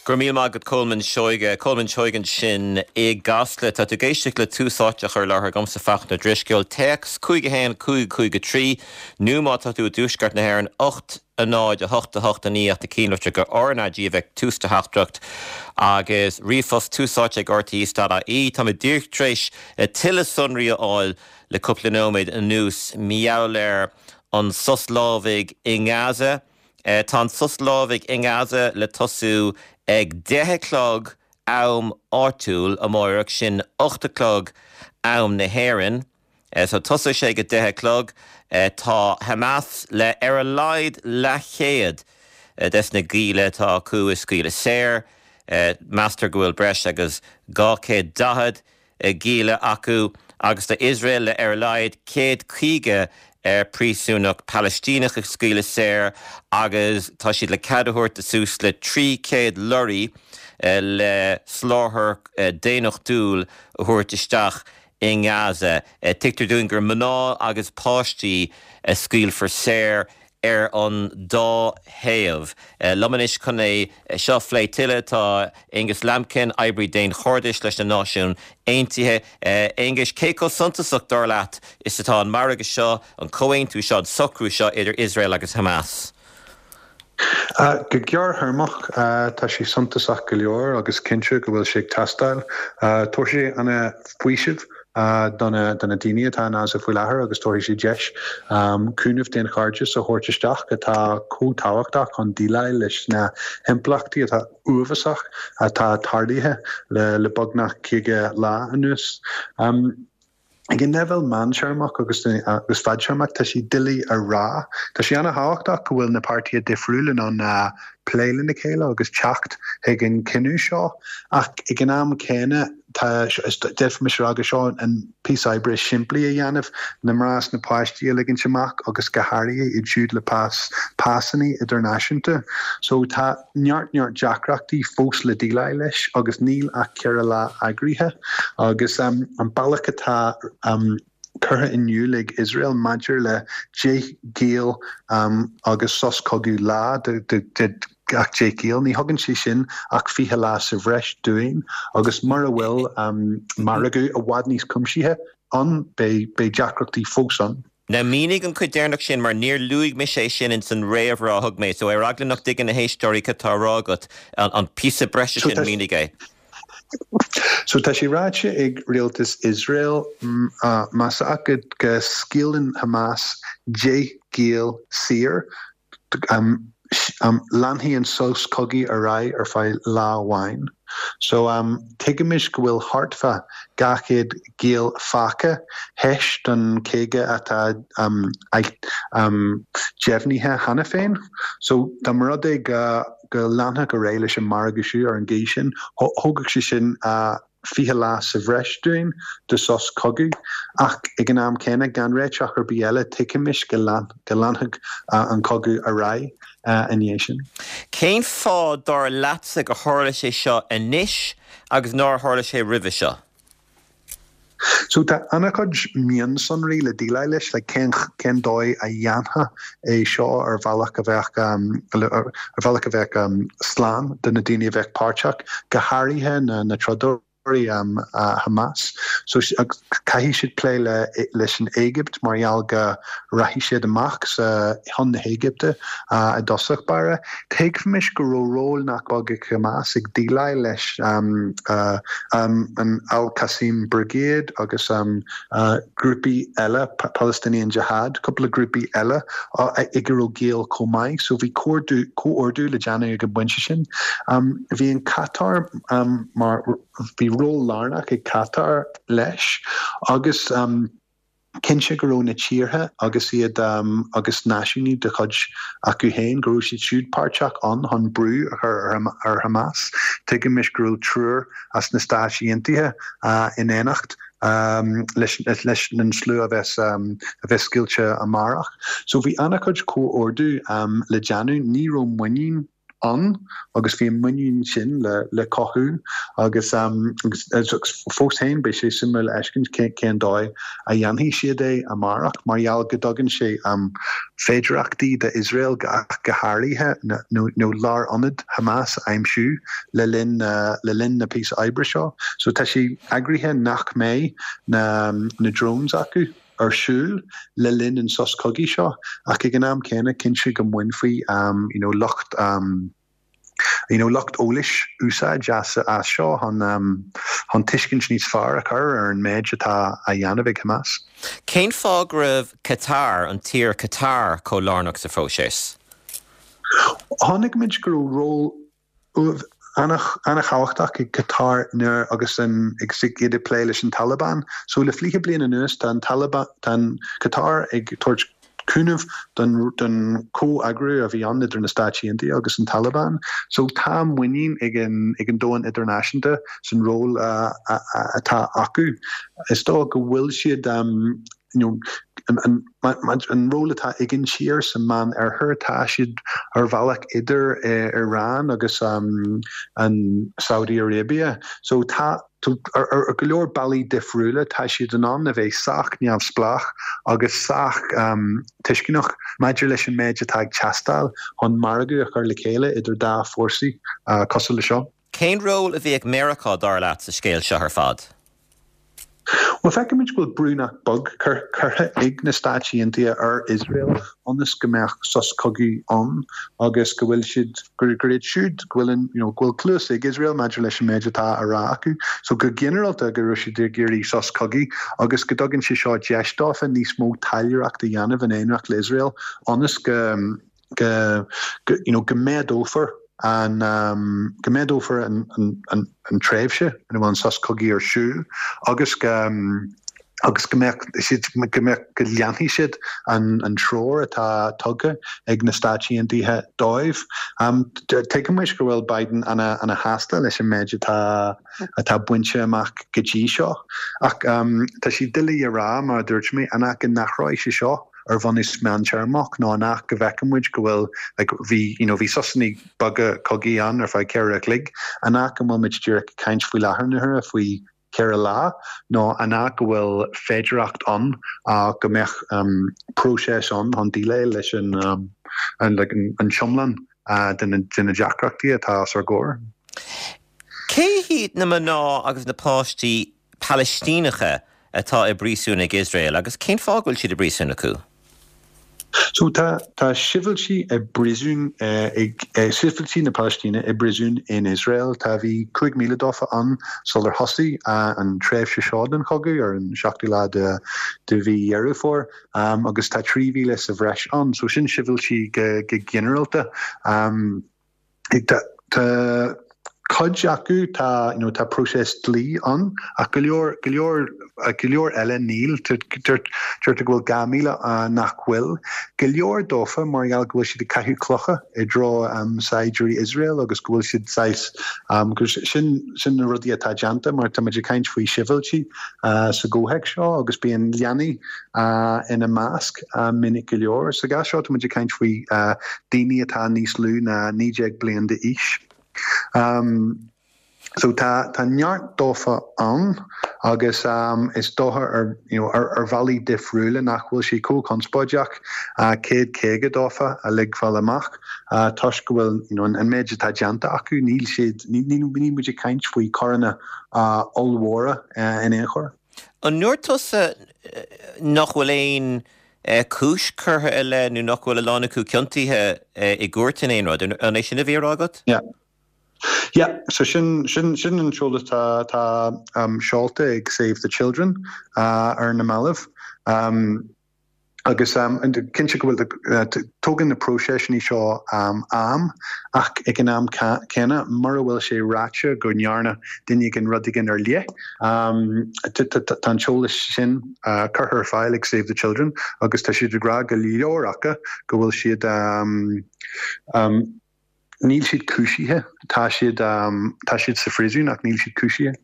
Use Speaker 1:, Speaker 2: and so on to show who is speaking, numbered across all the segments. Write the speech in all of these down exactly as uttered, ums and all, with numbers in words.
Speaker 1: Go raibh míle maith agat Colman Seoige Colman Seoige ansin i gCasla tá tú ag éisteacht le Tús Áite á chur i láthair agamsa Fachtna Ó Drisceoil téacs cúig a haon cúig cúig a trí nó má tá tú i dtuaisceart na hÉireann ocht a náid a hocht a hocht a naoi ach na cinnlitreacha RnaG a bheith tús do theachtaireacht agus ríomhphost tús áite ag RTÉ dot ie Tá mé díreach tar éis tuilleadh sonraí a fháil le cúpla nóiméad anuas mar gheall ar an sos lámhaigh i nGaza. Tá an sos lámhaigh i nGaza le tosú ag deich a chlog am áitiúil amárach sin ocht a chlog am na hÉireann. So tosóidh sé ag a deich a chlog. Tá Hamas le ar a laghad leathchéad des na gialla atá acu a scaoileadh saor. Meastar go bhfuil breis agus dhá chéad daichead gialla acu agus tá Iosrael le ar a laghad céad caoga príosúnach Palaistíneach a scaoileadh saor agus tá siad le cead a thabhairt do suas le trí chéad lorraí le soláthar daonnachtúil a thabhairt isteach i nGaza. Tuigtear dúinn gur mná agus páistí a scaoilfear saor ar an dá thaobh. Liom anois chun é seo a phlé tuilleadh tá Aonghus Lambkin, oibrí daonchairdis leis na Náisiúin Aontaithe. Aonghus, cé chomh suntasach dar leat is atá an margadh seo, an comhaontú seo, an socrú seo idir Iosrael agus Hamas?
Speaker 2: Go gearrthéarmach tá sé suntasach go leor agus cinnte go bhfuil sé ag teastáil. Tabharfaidh sé an-fhaoiseamh do na daoine atá in Gaza faoi láthair agus tabharfaidh sé deis cúnamh daonchairdis a thabhairt isteach atá chomh tábhachtach chun déileáil leis na himpleachtaí atá uafásach atá tarlaithe le beagnach caoga lá anuas. Ag an leibhéal meántéarmach agus agus fadtéarmach tá sé doiligh a rá. Tá sé an-thábhachtach go bhfuil na páirtithe difriúla in ann plé lena chéile agus teacht chuig an cinneadh seo ach ag an am céanna tá d'fhéadfaimis a rá go seo an píosa oibre is simplí a dhéanamh, na mná is na páistí a ligint amach agus go háirithe iad siúd le pas pasanna idirnáisiúnta. So tá neart neart deacrachtaí fós le déileáil leis agus níl ach ceithre lá eagraithe agus um, an bealach atá um, curtha in iúl ag Iosrael maidir le deich ngiall um, agus sos cogaidh lá de, de, de gach deich ngiall. Ní thugann sé sin ach fiche lá sa bhreis dúinn agus mura bhfuil um, margadh i bhfad níos cuimsithí ann beidh deacrachtaí fós ann.
Speaker 1: Now mínigh an chuid deireanach sin mar níor luaigh mise é sin ins an réamhrá a thug mé, so ar eagla nach dtuigeann na héisteoirí cad tá á rá agat an píosa breise sin mínigh é.
Speaker 2: So tá sé ráite ag rialtas Iosrael más ea go go scaoileann Hamas deich ngiall saor um, um, leanfaidh an sos cogaidh ar aghaidh ar feadh lá amháin. So um, tuigimis go bhfuil thart fá dhá chéad giall fágtha théis don caoga atá um, um, deimhnithe cheana féin. So dá mba rud é go go leanfadh ar aghaidh leis an margadh seo ar an gcaoi sin, thógfadh sé sin uh, fiche lá sa bhreis dúinn de sos cogaidh ach ag an am céanna gan réiteach ar bith eile tuigimis go go leanfadh uh, an cogadh ar aghaidh uh, ina dhiaidh sin.
Speaker 1: Cén fáth dar leatsa gur tharla sé seo anois agus nár tharla sé roimhe seo?
Speaker 2: So tá an-chuid mionsonraí le déileáil leis le cén cén dóigh a dhéanfaí é seo ar bhealach a bheadh um, ar bhealach a bheadh um, slán do na daoine a bheadh páirteach go háirithe na na trodairí um, uh, Hamas. So uh, caithfidh siad plé le leis an Éigipt mar gheall go rachaidh siad amach sa chun na hÉigipte uh, i dtosach báire. Tuigfimis go raibh ról nach beag ag Hamas ag déileáil leis um, uh, um, an Al-Qassam Brigade agus um, uh, grúpaí eile Palestinian Jihad, cúpla grúpaí eile uh, ag a raibh gaol chomh maith, so bhí comhordú le déanamh ag an bpointe sin. Um, bhí an Qatar um, mar bhí ról lárnach ag Qatar leis agus um, cinnte go raibh na tíortha agus iad um, agus náisiúnaigh de chuid acu féin go raibh siad siúd páirteach ann chun brú a chur ar, ar Hamas. Tuigimis go raibh triúr as na Stáit Aontaithe uh, in éineacht um, leis, leis an slua a bheas um, a bheas scaoilte amárach. So bhí an-chuid comhordú um, le déanamh ní raibh muinín ann agus bhí an muinín sin le le cothú agus agus fós féin beidh sé suimiúil a fheiscint cén dóigh a dhéanfaidh siad é amárach mar gheall go dtugann sé féidearthachtaí d'Iosrael go háirithe nó nó lárionad Hamas a aimsiú le linn le linn na píosa oibre seo. So tá sé eagraithe nach mbeidh na na drones acu ar siúl le linn an sos cogaidh seo ach ag an am céanna cinnte go mbainfí um, you know, lucht um, you know, lucht eolais úsáid as as seo chun um, chun tuiscint níos fearr a chur ar an méid atá á dhéanamh ag Hamas.
Speaker 1: Cén fáth go raibh Qatar an tír Qatar chomh lárnach sa phróiseas?
Speaker 2: Tháinig muid go raibh ról an-thábhachtach ag Qatar nuair agus an ag iad ag plé leis an Taliban. So le fiche bliain anuas tá an Taliban tá Qatar ag tabhairt cúnamh don don comhoibriú a bhí ann idir na Stáit Aontaithe agus an Taliban. So tá muinín ag an ag an domhan idirnáisiúnta san ról atá acu. Is dóigh go bhfuil siad um, you know, an, an, an ról atá ag an tír sa Mheánoirthear tá siad ar bhealach idir eh, Iran agus um, an Saudi Arabia. So tá ar, ar go leor bealaí difriúla tá siad in ann a bheith sách neamhspleách agus sách um, tuisceanach maidir leis an méid atá ag teastáil chun margadh a chur le chéile idir dá fórsaí uh, cosúil le seo.
Speaker 1: Cén ról a bhí ag Meiriceá dar leat sa scéal seo ar fad?
Speaker 2: Well feicimid go bhfuil brú nach beag curtha ag na Stáit Aontaithe ar Israel ionas go mbeadh sos cogaidh ann agus go bhfuil siad gur gur iad siúd go bhfuil an you know, go bhfuil cluas ag Israel maidir leis an méid atá á rá acu, so go ginearálta go raibh siad ag iarraidh sos cogaidh agus go dtugann sé seo deis dófa níos mó taidhleoireacht a dhéanamh in éineacht le Israel ionas go go go you know, go méadófar an um, go méadófar an, an, an, an tréimhse ina bhfuil an sos cogaidh ar siúl agus go um, agus go mbeadh siad go mbeadh go leanfaidh siad an, an treoir atá tugtha ag na Stáit Aontaithe dóibh. Um, Tuigimid go bhfuil Biden ana ana shásta leis an méid atá atá bainte amach go dtí seo ach um, tá sé doiligh a rá mar a dúirt mé an ea go n-athróidh sé seo ar bhunús meántéarmach nó nach go bhfeicfimid go bhfuil like, bhí you know, bhí sosanna beaga cogaidh ann ar feadh ceithre chloig an ea go bhfuil muid díreach ag caint faoi láthair na huaire faoi ceithre lá nó an ea go bhfuil féidearthacht ann uh, go mbeadh um, próiseas ann chun déileáil leis an, um, an, like, an, an iomlán uh, de na, de na deacrachtaí atá os ár gcomhair.
Speaker 1: Cé hiad na mná agus na páistí Palaistíneacha atá i bpríosún ag Iosrael agus cén fáth go bhfuil siad i bpríosún acu?
Speaker 2: So tá tá sibhialtaigh i bpríosún ag sibhialtaigh na Palaistíne i bpríosún in Israel tá bhí cúig míle dófa ann sular thosaigh an tréimhse seo den chogadh ar an seachtú lá de de mhí Dheireadh Fómhair um, agus tá trí mhíle sa bhreis ann, so sin sibhialtaigh go, go ginearálta. Um, tá, tá cuid acu tá you know, tá próiseas dlí ann ach go leor go leor go leor eile níl deirtear go bhfuil dhá mhíle nach bhfuil. Go leor dófa mar gheall go bhfuil siad ag caitheamh clocha i dtreo um, saighdiúirí Israel agus go bhfuil siad saghas um, sin sin na rudaí atá déanta mar tá muid ag caint faoi sibhialtaigh uh, sa gcomhthéacs seo agus bíonn leanaí uh, ina measc uh, minic go leor. Sa gcás seo tá muid ag caint faoi uh, daoine atá níos lú ná naoi déag bliain d'aois. Um, so tá tá neart dófa ann agus um, is dócha ar you know, ar, ar bhealaí difriúla nach bhfuil sé chomh conspóideach uh, céad caoga dófa a ligfáil amach uh, toisc go bhfuil you know, an, an méid atá déanta acu níl siad ní ní muid ag caint faoi choireanna uh, ollmhóra uh, in aon chor.
Speaker 1: An ndúirt tusa nach bhfuil aon cúis curtha i leith nó nach bhfuil a lán acu ciontaithe i gcúirt in aon rud, an é sin a bhí á rá agat?
Speaker 2: Yeah. Yeah, so sin sin sin an t-eolas tá tá um, seolta ag Save the Children uh, ar na mallaibh. Um, agus um, cinnte go bhfuil uh, tógann na próiseas seo um, am ach ag an am céanna mura bhfuil sé ráite go ndearna duine éigin rud éigin ar leith. Um, tá an t-eolas sin uh, curtha ar fáil ag Save the Children agus tá siad ag rá go leor acu go bhfuil siad um, um, níl siad cúisithe tá siad um, tá siad sa phríosún ach níl siad cúisithe.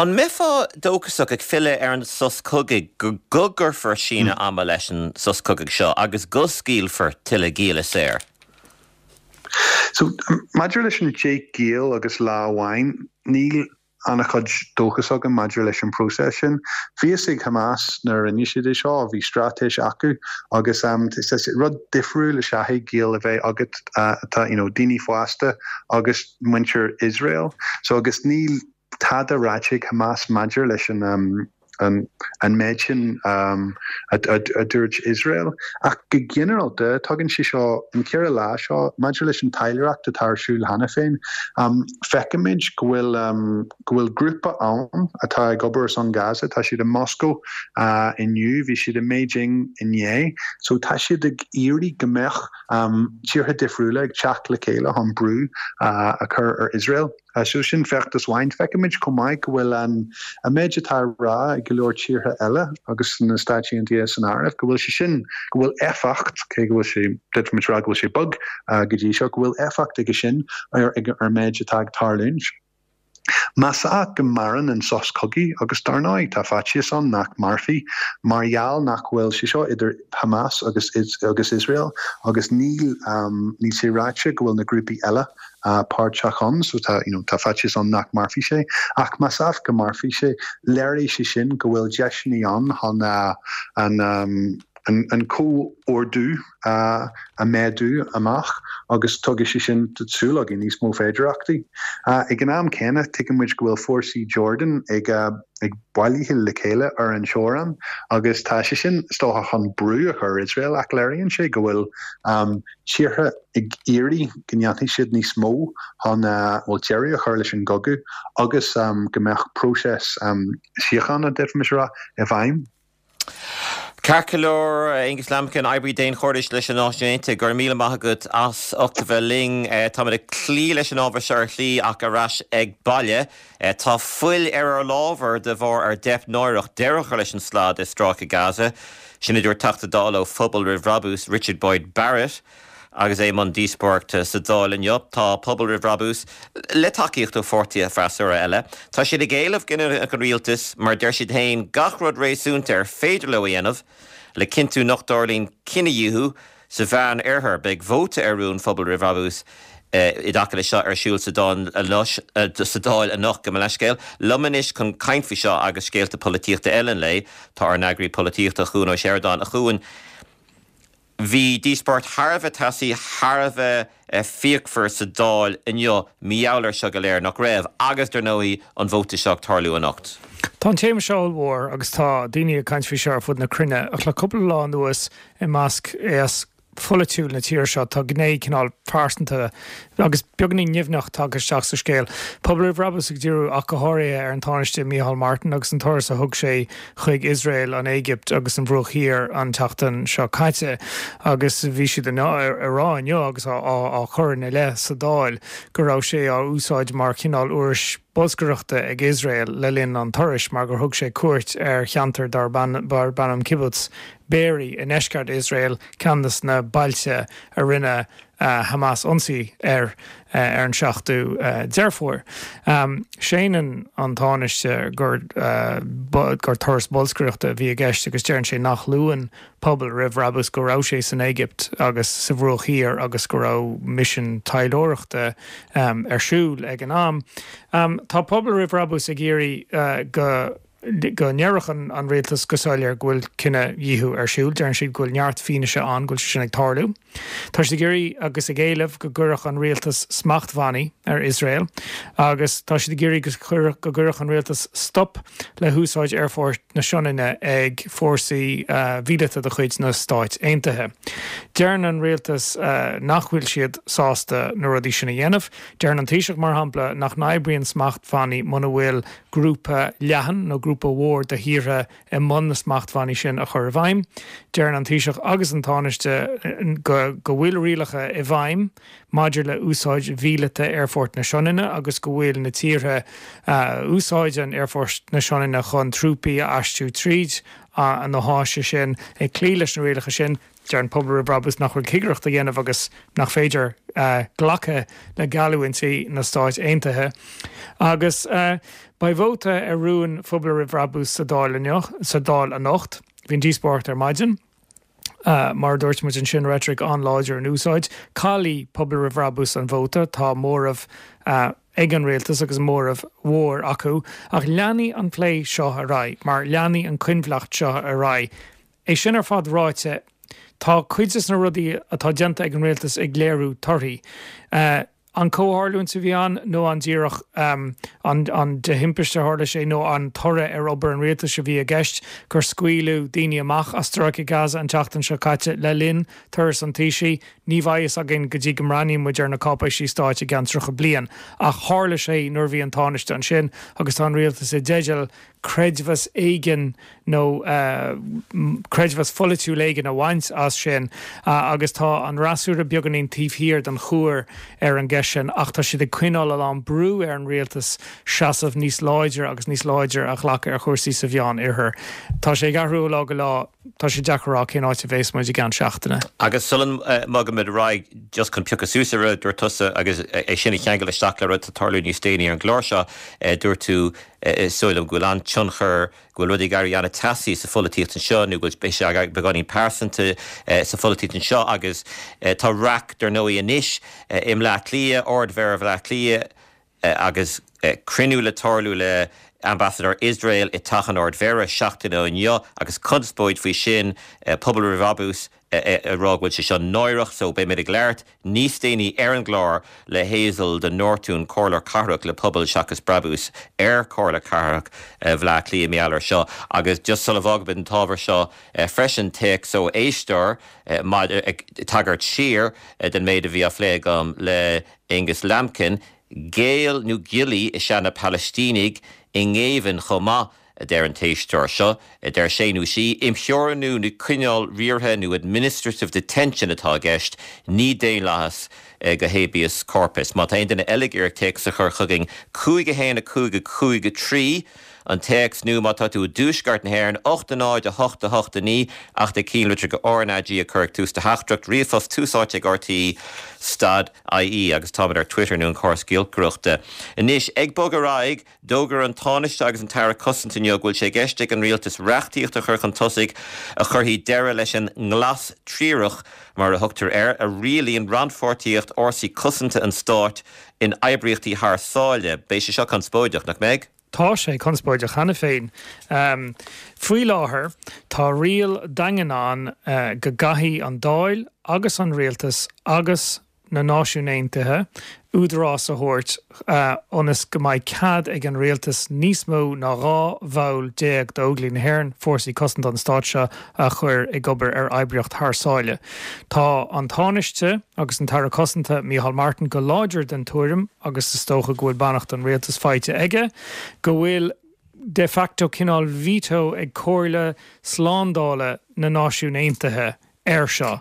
Speaker 1: An mbeifeá dóchasach ag filleadh ar an sos cogaidh go go gcuirfear síneadh ama leis an sos cogaidh seo agus go scaoilfear tuilleadh gialla saor?
Speaker 2: So maidir leis an déigiall agus lá amháin, níl an-chuid dóchas agam maidir leis an próiseas sin. Bhí a fhios ag Hamas nuair a rinne siad é seo, bhí straitéis acu agus um, rud difriúil is ea é giall a bheith agat uh, tá you know, daoine fásta agus muintir Iosrael. So agus níl tada ráite ag Hamas maidir leis an um, an, an méid sin um, a, a, a dúirt Iosrael. Ach go ginearálta tugann sé seo an ceithre lá seo maidir leis an taidhleoireacht atá ar siúl cheana féin. Um, Feicimid go bhfuil um, go bhfuil grúpa ann atá ag obair san Gaza, tá siad i Moscow uh, inniu, bhí siad i Beijing inné, so tá siad ag iarraidh go mbeadh um, tíortha difriúla ag teacht le chéile chun brú uh, a chur ar Iosrael. Uh, so sin feachtas amháin feicimid chomh maith go bhfuil an an méid atá á rá ag go leor tíortha eile agus na Stáit Aontaithe san áireamh go bhfuil sé sin go bhfuil éifeacht cé go bhfuil sé d'fhéadfaimis rá go bhfuil sé beag uh, go dtí seo go bhfuil éifeacht aige sin ar ar ar méid atá ag tarlúint. Más ea go maireann an sos cogaidh agus dar ndóigh tá faitíos ann nach mairfidh mar gheall nach bhfuil sé seo idir Hamas agus agus Israel agus níl um, níl sé ráite go bhfuil na grúpaí eile uh, páirteach ann so tá you know, tá faitíos ann nach mairfidh sé ach más ea go mairfidh sé léiríonn sé sin go bhfuil deiseanna ann chun uh, an um, an, an comhordú uh, a méadú amach agus tugann sé sin súil againn níos mó féidearthachtaí. Uh, ag an am céanna tuigimid go bhfuil fórsaí Jordan ag uh, ag bailiú le chéile ar an teorainn agus tá sé sin stocha chun brú a chur Israel ach léiríonn sé go bhfuil um, tíortha ag iarraidh go ndéanfaidh siad níos mó chun uh, bhfuil deireadh a chur leis an gcogadh agus um, go mbeadh próiseas um, síochána d'fhéadfaimis rá i bhfeidhm.
Speaker 1: Ceart go leor Aonghus Lambkin oibrí daonchairdis leis na Náisiúin Aontaithe go raibh míle maith agat as ucht a bheith linn Tá ag cloí leis an ábhar seo ar shlí ach ar ais ag baile. Tá fuil ar ár lámha de bharr ár dteip náireach deireadh a chur leis an slad i Stráice Gaza. Sin a dúirt Teachta Dála ó Phobal Roimh Bhrabús Richard Boyd Barrett. agus é i mbun díospóireachta sa Dáil inniu tá Pobal Roimh Bhrabús le tacaíocht ó pháirtithe freasúra eile. Tá siad ag éileamh go ndéanfadh an rialtas mar deir siad féin gach rud réasúnta ar féidir leo a dhéanamh le cinntiú nach dtarlaíonn cinedhíothú sa Mheánoirthear beidh vóta ar rún Phobal Roimh Bhrabús i dtaca leis seo ar siúl sa sa Dáil anocht gabh mo leithscéal. Liom anois chun caint faoi seo agus scéalta polaitíochta eile an lae tá ár n-eagraí polaitíochta Cuan Ó Seireadáin a Chuain. Bhí díospóireacht thar a bheith teasaí thar a bheith fíochmhar sa Dáil inniu mar gheall air seo go léir nach raibh agus dar ndóigh an vóta seo ag tarlú anocht.
Speaker 3: Tá an téama seo mhór agus tá daoine ag caint faoi seo ar fud na cruinne ach le cúpla lá anuas i measc aos polaitiúil na tíre seo tá gné cineál pearsanta agus beagáinín nimhneach tagtha isteach sa scéal. Pobal Roimh Bhrabús ag díriú ach go háirithe ar an Tánaiste Micheál Martin agus an turas a thug sé chuig Iosrael an Éigipt agus an Bhruach Thiar an tseachtain seo caite agus bhí siad ar rá inniu agus á chur ina leith sa Dáil go raibh sé á úsáid mar chineál uirlis bolscaireachta ag Iosrael le linn an turais mar gur thug sé cuairt ar cheantar darb ainm Kibbutz Be'eri i ndeisceart Iosrael ceann de na bailte a rinne uh, Hamas ionsaí ar uh, ar an seachtú uh, Deireadh Fómhair. Um, Séanann an Tánaiste gur uh, gur turas bolscaireachta a bhí i gceist agus deireann sé nach luann Pobal Roimh Bhrabús go raibh sé san Éigipt agus sa Bhruach Thiar agus go raibh misean taidhleoireachta um, ar siúl ag an am. Um, tá Pobal Roimh Bhrabús ag iarraidh uh, go go ndéarfadh an, an rialtas go soiléir go bhfuil cinedhíothú ar siúl, deireann siad go bhfuil neart fianaise ann go bhfuil sé sin ag tarlú. Tá siad ag iarraidh agus ag éileamh go gcuirfeadh an rialtas smachtbhannaí ar Iosrael, agus tá siad ag iarraidh go gcuirfeadh an rialtas stop le húsáid aerfort na Sionainne ag fórsaí uh, míleata de chuid na Stáit Aontaithe. Deireann an rialtas uh, nach bhfuil siad sásta na rudaí sin a dhéanamh, Deireann an Taoiseach mar shampla nach n-oibríonn smachtbhannaí muna bhfuil grúpa leathan nó grúpa mhór de thíortha i mbun na smachtbhannaí sin a chur i bhfeidhm. Deireann an Taoiseach agus an Tánaiste go, go bhfuil rialacha i bhfeidhm maidir le úsáid mhíleata aerfort na Sionainne agus go bhfuil na tíortha uh, úsáideann aerfort na Sionainne chun trúpaí a aistriú tríd uh, an na háise sin ag cloí leis na rialacha sin Deireann Pobal Roimh Bhrabús nach bhfuil cigireacht á dhéanamh agus nach féidir uh, glacadh le geallúintí na Stáit Aontaithe. Agus uh, beidh vóta ar rún Phobal Roimh Bhrabús sa Dáil sa Dáil anocht, bhí díospóireacht ar maidin. Mar a dúirt muid ansin reitric an-láidir in úsáid. Caillfidh Pobal Roimh Bhrabús an vóta, tá móramh ag an rialtas agus móramh mhór acu, ach leanfaidh an plé seo ar aghaidh, mar leanfaidh an choinbhleacht seo ar aghaidh. É sin ar fad ráite, tá cuid de na rudaí atá déanta ag an rialtas ag léiriú torthaí. An comhtharlúint a bhí ann nó an díreach an an de thimpiste a tharla sé nó an toradh ar obair an rialtais a bhí i gceist gur scaoileadh daoine amach as Stráice Gaza an tseachtain seo caite le linn turas an Taoisigh, ní bheidh fhios againn go dtí go mbreathnaíonn muid ar na cáipéisí stáit i gceann tríocha bliain. Ach tharla sé nuair a bhí an Tánaiste ansin agus tá an rialtas i dteideal creidmheas éigin nó creidmheas pholaitiúil éigin a bhaint as sin agus tá an fhreasúra beagáinín taobh thiar den chúr ar an gceist sin ach tá siad ag coinneáil a lán brú ar an rialtas seasamh níos láidre agus níos láidre a ghlacadh ar chúrsaí sa Mheán Oirthear. Tá sé ag athrú ó lá go lá, tá sé deacair a rá cén áit a bheas muid i gceann seachtaine.
Speaker 1: Agus sula mbogaimid ar aghaidh, just chun piocadh suas ar rud a dúirt tusa agus é sin a cheangal isteach le rud atá ag tarlú níos déanaí ar an gclár seo, dúirt tú, is dóigh liom go bhfuil an-tionchar, go bhfuil rudaí ag éirí an-teasaí sa pholaitíocht anseo nó go bhfuil sé beagáinín pearsanta sa pholaitíocht anseo agus tá raic dar ndóigh anois i mBleá Cliath, Ard-Mhéara Bhaile Átha Cliath agus cruinniú le tarlú le Ambasadóir Iosrael i dTeach an Ard-Mhéara seachtain ó inniu agus conspóid faoi sin, Pobal Roimh Bhrabús ag rá go bhfuil sé seo náireach so beidh muid ag labhairt níos déanaí ar an gclár le Hazel de Nortúin, Comhairleoir Cathrach le Pobal Seachas Brabús ar Chomhairle Cathrach Bhaile Átha Cliath mar gheall air seo. Agus just sula bhfágaimid an t-ábhar seo freisin, téacs ó éisteoir ag tagairt siar den méid a bhí á phlé agam le Angus Lambkin, Géill nó giollaí is ea na Palaistínigh i ngéibheann chomh maith, a deir an t-éisteoir seo. Deir sé nó sí, imtheorannú nó coinneáil riartha nó administrative detention atá i gceist, ní daonlathas go habeas corpus. Má tá aon duine eile ag iarraidh téacs a chur chugainn, cúig a haon a cúig a cúig a trí an téacs nó má tá tú i dtuaisceart na hÉireann, ocht a náid a hocht a hocht a naoi ach téigh cinnlitir go RnaG a chur ag tús do theachtaireacht, ríomhphost tús áite ag RTÉ stad IE agus táimid ar Twitter nó an córas giolcaireachta. Anois, ag bogadh ar aghaidh, d'fhógair an Tánaiste agus an tAire Cosanta inniu go bhfuil sé i gceist ag an Rialtas reachtaíocht a chur chun tosaigh a chuirfidh deireadh leis an nglas triarach, mar a thugtar air, a rialaíonn rannpháirtíocht fhórsaí cosanta an stáit in oibríochtaí thar sáile. Beidh sé seo conspóideach, nach mbeidh?
Speaker 3: Tá sé conspóideach cheana féin. Faoi láthair, tá riail daingean ann go gcaithfidh an Dáil agus an Rialtas agus na Náisiúin Aontaithe údarás a thabhairt ionas go mbeidh cead ag an rialtas níos mó ná dhá bhall déag d'Óglaigh na hÉireann, fórsaí cosanta an stáit seo, a chur ag obair ar oibríocht thar sáile. Tá an Tánaiste agus an tAire Cosanta, Micheál Martin, go láidir den tuairim, agus is dócha go bhfuil beannacht an rialtais faighte aige, go bhfuil de facto cineál veto ag Comhairle Slándála na Náisiún Aontaithe air seo.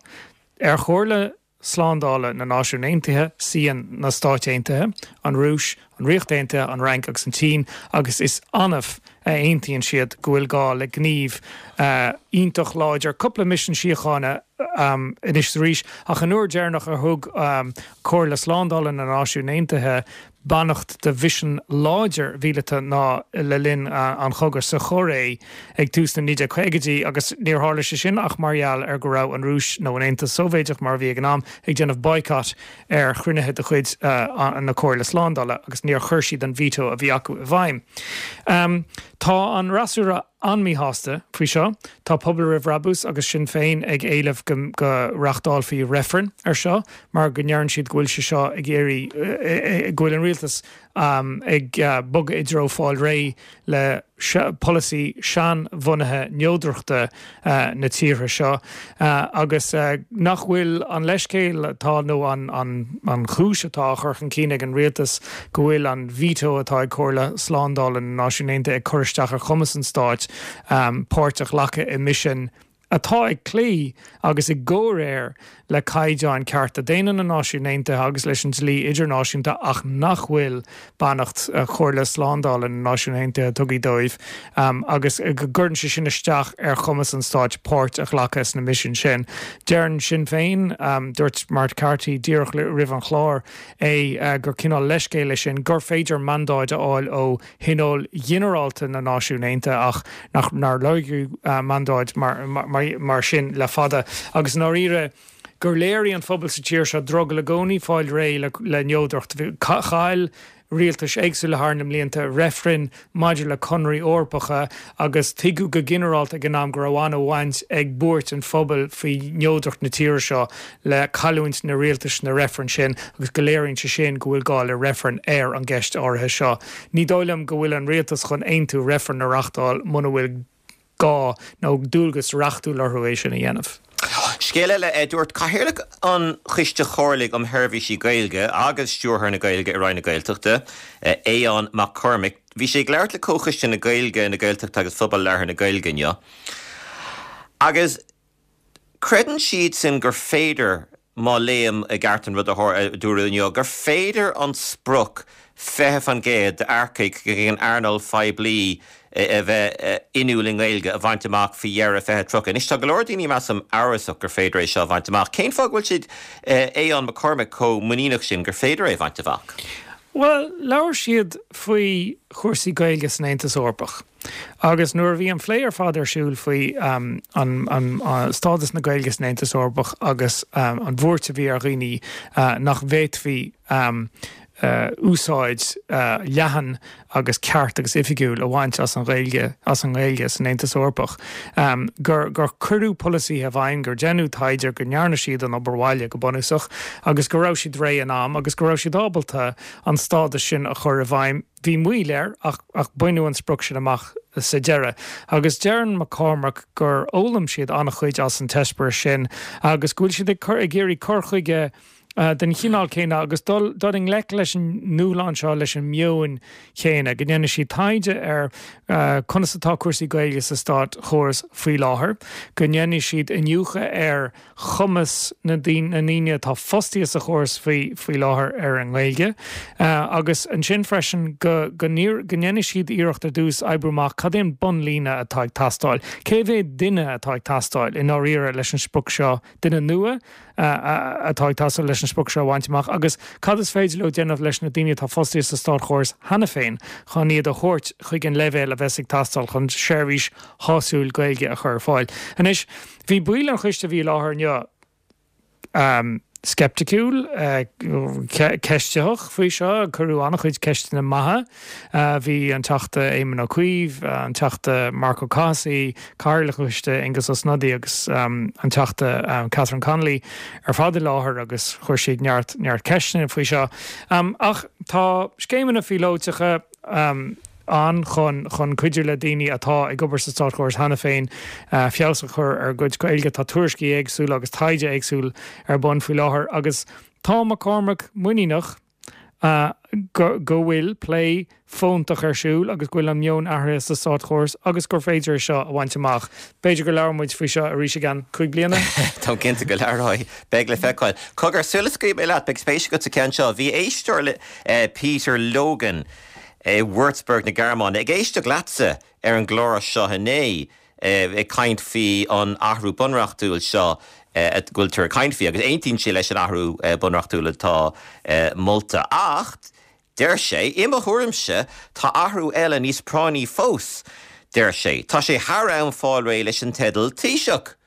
Speaker 3: Ar Chomhairle Slándála na Náisiún Aontaithe, suíonn na Stáit Aontaithe, an Rúis, an Ríocht Aontaithe, an Fhrainc agus an tSín agus is annamh a aontaíonn siad go bhfuil gá le gníomh iontach láidir, cúpla misean síochána anois is arís, ach an uair dheireanach a thug Comhairle Slándála na Náisiún Aontaithe beannacht do mhisean láidir mhíleata ná le linn an chogaidh sa Chóiré ag tús na naoi déag caogaidí agus níor tharla sé sin ach mar gheall ar go raibh an Rúis nó an Aontas Sóivéadach mar a bhí ag an am ag déanamh boycott ar chruinnithe de chuid na Comhairle Slándála agus níor chuir siad an veto a bhí acu i bhfeidhm. Tá an fhreasúra an-mhíshásta faoi seo. Tá Pobal Roimh Bhrabús agus Sinn Féin ag éileamh go go reachtálfaí reifreann ar seo mar go ndeireann siad go bhfuil sé seo ag iarraidh go bhfuil an rialtas ag bogadh i dtreo fáil réidh le polasaí seanbhunaithe neodrachta na tíortha seo agus nach bhfuil an leithscéal atá nó an chúis atá á chur chun cinn ag an rialtas go bhfuil an veto atá ag Comhairle Slándála na Náisiún Aontaithe ag cur isteach ar chumas an stáit páirt a ghlacadh i misin atá ag cloí agus i gcomhréir le caighdeáin cearta daonna na Náisiún Aontaithe agus leis an dlí idirnáisiúnta ach nach bhfuil beannacht Chomhairle Slándála na Náisiún Aontaithe tugtha dóibh agus go gcuireann sé sin isteach ar chumas an stáit páirt a ghlacadh sna misin sin. Deireann Sinn Féin, dúirt Mark Carthy díreach roimh an chlár é gur cineál leithscéal é sin, gur féidir mandáid a fháil ó Thionól Ginearálta na Náisiún Aontaithe ach nár lorgaíodh mandáid mar mar sin le fada agus i ndáiríre gur léirigh an phobal sa tír seo drogall i gcónaí fáil réidh le neodracht. Chaill rialtais éagsúla thar na mblianta reifrinn maidir le conairí Eorpacha agus tuigeadh go ginearálta ag an am go raibh an-bhaint ag buairt an phobail faoi neodracht na tíre seo le cailliúint na rialtais na reifrinn sin agus go léiríonn sé sin go bhfuil gá le reifreann ar an gceist áirithe seo. Ní dóigh liom go bhfuil an rialtas chun aontú reifreann a reáchtáil muna bhfuil gá nó dualgas reachtúil orthu é sin a dhéanamh.
Speaker 1: Scéal eile, dúirt Cathaoirleach an Choiste Chomhairligh um Sheirbhísí Gaeilge agus Stiúrthóir na Gaeilge i Roinn na Gaeltachta, Aodhán Mac Cormaic, bhí sé ag labhairt le Comhchoiste na Gaeilge, na Gaeltachta agus Phobal Labhartha na Gaeilge inniu, agus creideann siadsan gur féidir má léim i gceart an rud a dúradh inniu, gur féidir an sprioc fiche faoin gcéad d'earcaigh chuig an earnáil phoiblí a bheith inniúil i nGaeilge a bhaint amach faoi dheireadh fiche tríocha. Anois tá go leor daoine, measaim, amhrasach gur féidir é seo a bhaint amach. Cén fáth go bhfuil siad, Aodhán Mac Cormaic, chomh muiníneach sin gur féidir é a bhaint amach?
Speaker 3: Bhuel, labhair siad faoi chúrsaí Gaeilge san Aontas Eorpach. Agus nuair a bhí an phlé ar fad ar siúl faoi an stádas na Gaeilge san Aontas Eorpach agus an bhuairt a bhí ar dhaoine nach bhféadfaí úsáid leathan agus ceart agus oifigiúil a bhaint as an Ghaeilge as an nGaeilge san Aontas Eorpach, gur gur cuireadh polasaithe i bhfeidhm, gur deineadh taighde, go ndearna siad an obair bhaile go bunúsach agus go raibh siad réidh in am agus go raibh siad ábalta an stádas sin a chur i bhfeidhm. Bhí moill air ach ach baineadh an sprioc sin amach sa deireadh. Agus deireann McCormack gur fhoghlaim siad an-chuid as an t-eispéireas sin agus go bhfuil siad ag cur ag iarraidh cur chuige den chineál céanna agus dul dul i ngleic leis an ndúshlán seo leis an meon chéanna, go ndéanfaidh siad taighde ar conas atá cúrsaí Gaeilge sa státchóras faoi láthair, go ndéanfaidh siad iniúchadh ar chumas na ndaoine atá fostaithe sa chóras faoi faoi láthair ar an nGaeilge agus ansin freisin go go ndéanfaidh siad iarracht ar dtús oibriú amach cad é an bunlíne atá ag teastáil, cé mhéad duine atá ag teastáil i ndáiríre leis an sprioc seo, duine nua atá ag teastáil leis an sprioc seo a bhaint amach agus cad is féidir leo déanamh leis na daoine atá fostaithe sa státchóras cheana féin chun iad a thabhairt chuig an leibhéal a bheas ag teastáil chun seirbhís shásúil Gaeilge a chur ar fáil. Anois, bhí baill an choiste a bhí i láthair inniu sceipticiúil, ceistitheach faoi seo, cuireadh an-chuid ceisteanna maithe. Bhí an Teachta Éamon Ó Cuív, an Teachta Marc Ó Cathasaigh, Cathaoirleach an Choiste Aengus Ó Snodaigh agus an Teachta Catherine Connolly ar fad i láthair agus chuir siad neart neart ceisteanna faoi seo. Ach tá scéimeanna phíolótacha ann chun chun cuidiú le daoine atá ag obair sa státchóras cheana féin feabhas a chur ar a gcuid Gaeilge. Tá tuairiscí éagsúla agus taighde éagsúil ar bun faoi láthair agus tá McCormack muiníneach go go bhfuil plé fóntach ar siúl agus go bhfuil an meon athraithe sa státchóras agus gur féidir é seo a bhaint amach. B'fhéidir go labhróidh muid faoi seo arís i gceann cúig bliana?
Speaker 1: Táim cinnte go labhróidh. Beidh le feiceáil. Cogar, sula scaoilfidh mé leat, beidh spéis agat sa cheann seo. Bhí éisteoir le Peter Logan i Würzburg na Gearmáine ag éisteacht leatsa ar an gclár seo inné ag caint faoi an athrú bunreachtúil seo a bhfuiltear ag caint faoi agus aontaíonn sé leis an athrú bunreachtúil atá molta. Ach deir sé, i mo thuairimse, tá athrú eile níos práinní fós, deir sé. Tá sé thar am fáil réidh leis an teideal Taoiseach.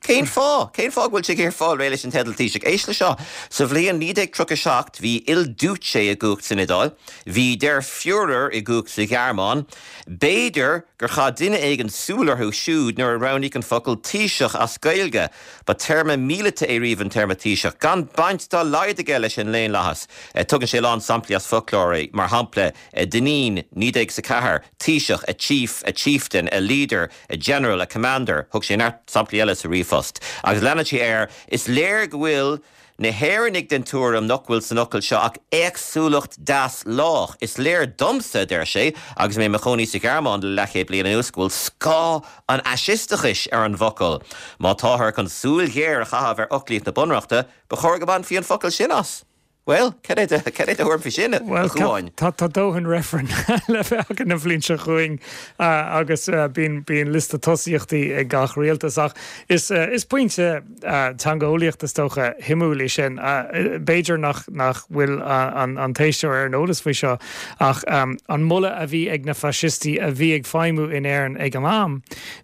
Speaker 1: Cén fáth? Cén fáth go bhfuil sé ag iarraidh fáil réidh leis an teideal Taoiseach? Éist le seo. Sa bhliain naoi déag tríocha a seacht bhí Il Duce i gcumhacht san Iodáil, bhí Der Führer i gcumhacht sa Ghearmáin. B'fhéidir gur chaith duine éigin súil orthu siúd nuair a roghnaíodh an focal Taoiseach as Gaeilge. Ba téarma míleata é riamh an téarma Taoiseach, gan baint dá laghad aige leis an ndaonlathas. Tugann sé a lán samplaí as foclóirí, mar shampla, Dineen, naoi déag is a ceathair, Taoiseach, a chief, a chieftain, a leader, a general, a commander. Thug sé neart samplaí eile sa ríomhphost. Agus leanann sé air, Is léir go bhfuil na hÉireannaigh den tuairim nach bhfuil san fhocal seo ach éagsúlacht deas lách. Is léir domsa, a deir sé, agus mé i mo chónaí sa Ghearmáin le leathchéad bliain anuas, go bhfuil scáth an fhaisisteachais ar an bhfocal. Má táthar chun súil ghéar a chaitheamh ar fhoclaíocht na Bunreachta, ba chóir go mbainfí an focal sin as. Bhuel, cad é do thuairim faoi sin, a Chuáin?
Speaker 3: Tá tá dóthain reifreann le bheith againn an bhliain seo chugainn agus bíonn bíonn liosta tosaíochtaí ag gach rialtas ach is is pointe teangeolaíochta is dócha shuimiúil é sin. B'fhéidir nach nach bhfuil an an t-éisteoir ar an eolas faoi seo ach an moladh a bhí ag na faisistí a bhí ag feidhmiú in Éirinn ag an am,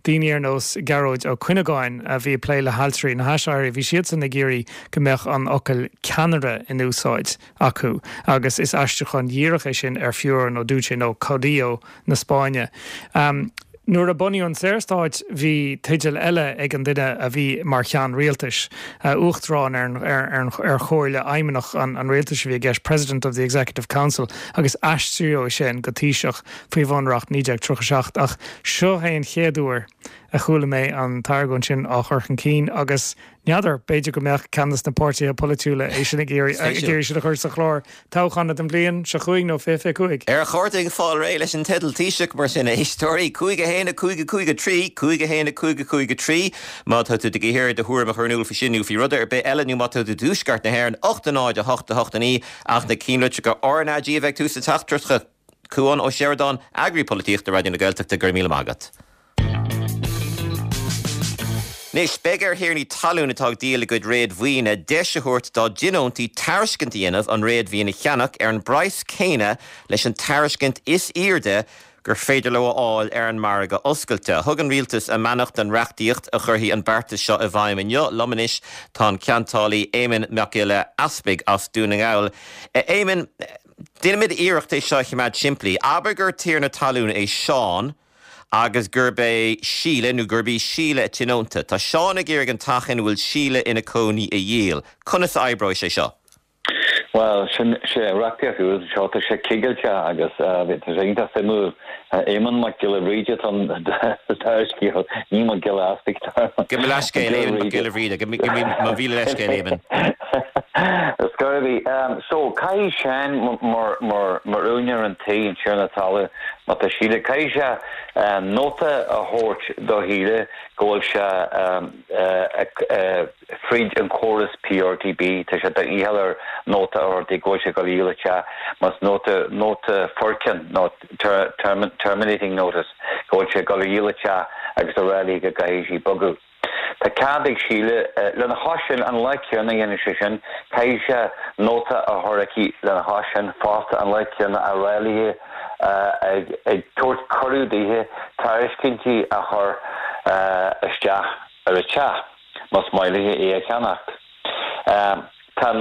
Speaker 3: daoine ar nós Gearóid Ó Cuinneagáin a bhí ag plé le hailtirí na hAiséirí, bhí siadsan ag iarraidh go mbeadh an fhocal ceannaire in úsáid. úsáid acu agus is aistriúchán dhíreach é sin ar Führer nó Duce nó Caudillo na Spáinne. Um, Nuair a bunaíodh an Saorstát bhí teideal eile ag an duine a bhí mar cheann rialtais, uh, uachtarán ar, ar, ar, ar chomhairle fheidhmeannach an, an rialtais a bhí i gceist President of the Executive Council agus aistríodh sin go Taoiseach faoi bhunreacht naoi déag tríocha seacht ach seo é an chéad uair a chuala mé an t-argóint sin á chur chun cinn agus n'fheadar, b'fhéidir go mbeadh ceann de na páirtithe polaitiúla é sin ag iarraidh sin a chur sa chlár toghcháin don bhliain seo chugainn nó fiche fiche cúig.
Speaker 1: Ar chóir dúinn fáil réidh leis an teideal Taoiseach mar sin, a éisteoirí, cúig a haon a cúig a cúig a trí, cúig a haon a cúig a cúig a trí, má tá tú ag iarraidh do thuairim a chur in iúl faoi sin nó faoi rud ar bith eile nó má tá tú i dtuaisceart na hÉireann, ocht a náid a hocht a hocht a naoi, ach na cinnlitreacha RnaG a bheidh tús na teachtaireachta. Cuán Ó Seireadáin, Eagraí Polaitíochta Raidió na Gaeltachta, go raibh míle maith agat. Anois, beidh ar thiarnaí talún atá ag díol a gcuid réadmhaoine deis a thabhairt dá dtionóntaí tairiscint a dhéanamh an réadmhaoin a cheannach ar an bpraghas céanna leis an tairiscint is airde gur féidir leo a fháil ar an margadh oscailte. Thug an rialtas a mbeannacht don reachtaíocht a chuirfidh an beartas seo i bhfeidhm inniu. Liom anois tá an ceantálaí Éamonn Mac Giolla Easpaig as Dún na nGall. Éamonn, déanfaimid iarracht é seo a choimeád simplí. Abair gur tiarna talún é Seán agus gurb é Síle nó gurb í Síle a tionónta. Tá Seán ag iarraidh an teach ina bhfuil Síle ina cónaí a dhíol. Conas a oibreoidh sé seo?
Speaker 4: Bhuel, sin sé reachtaíocht úr seo, tá sé cigilte agus tá sé iontach suimiúil. Éamonn Mac Giolla Bhríde atá ar an scéal, ní Mac Giolla Easpaig.
Speaker 1: Gabh mo leithscéal, Éamonn Mac Giolla Bhríde. Gabh mo mhíle leithscéal, Éamonn.
Speaker 4: Is gurb í. So, caithfidh Seán mar mar mar úinéir an tí, an tiarna talaimh, má tá Síle, caithfidh sé nóta a thabhairt do Shíle go bhfuil sé fríd an córas PRTB, tá sé de dhícheall air nóta a thabhairt di go bhfuil sé ag dul a dhíol an teach, más nóta nóta foirceann nó terminating notice go bhfuil sé ag dul a dhíol an teach agus a rá léi go gcaithfidh sí bogadh. Tá cead ag Síle, lena chois sin, an lá céanna a dhéanann sé sin, caithfidh sé nóta a chur chuici lena chois sin fosta an lá céanna á rá léi, ag tabhairt cuireadh daoithe tairiscintí a chur isteach ar an teach, más maith léi é a cheannacht. Tá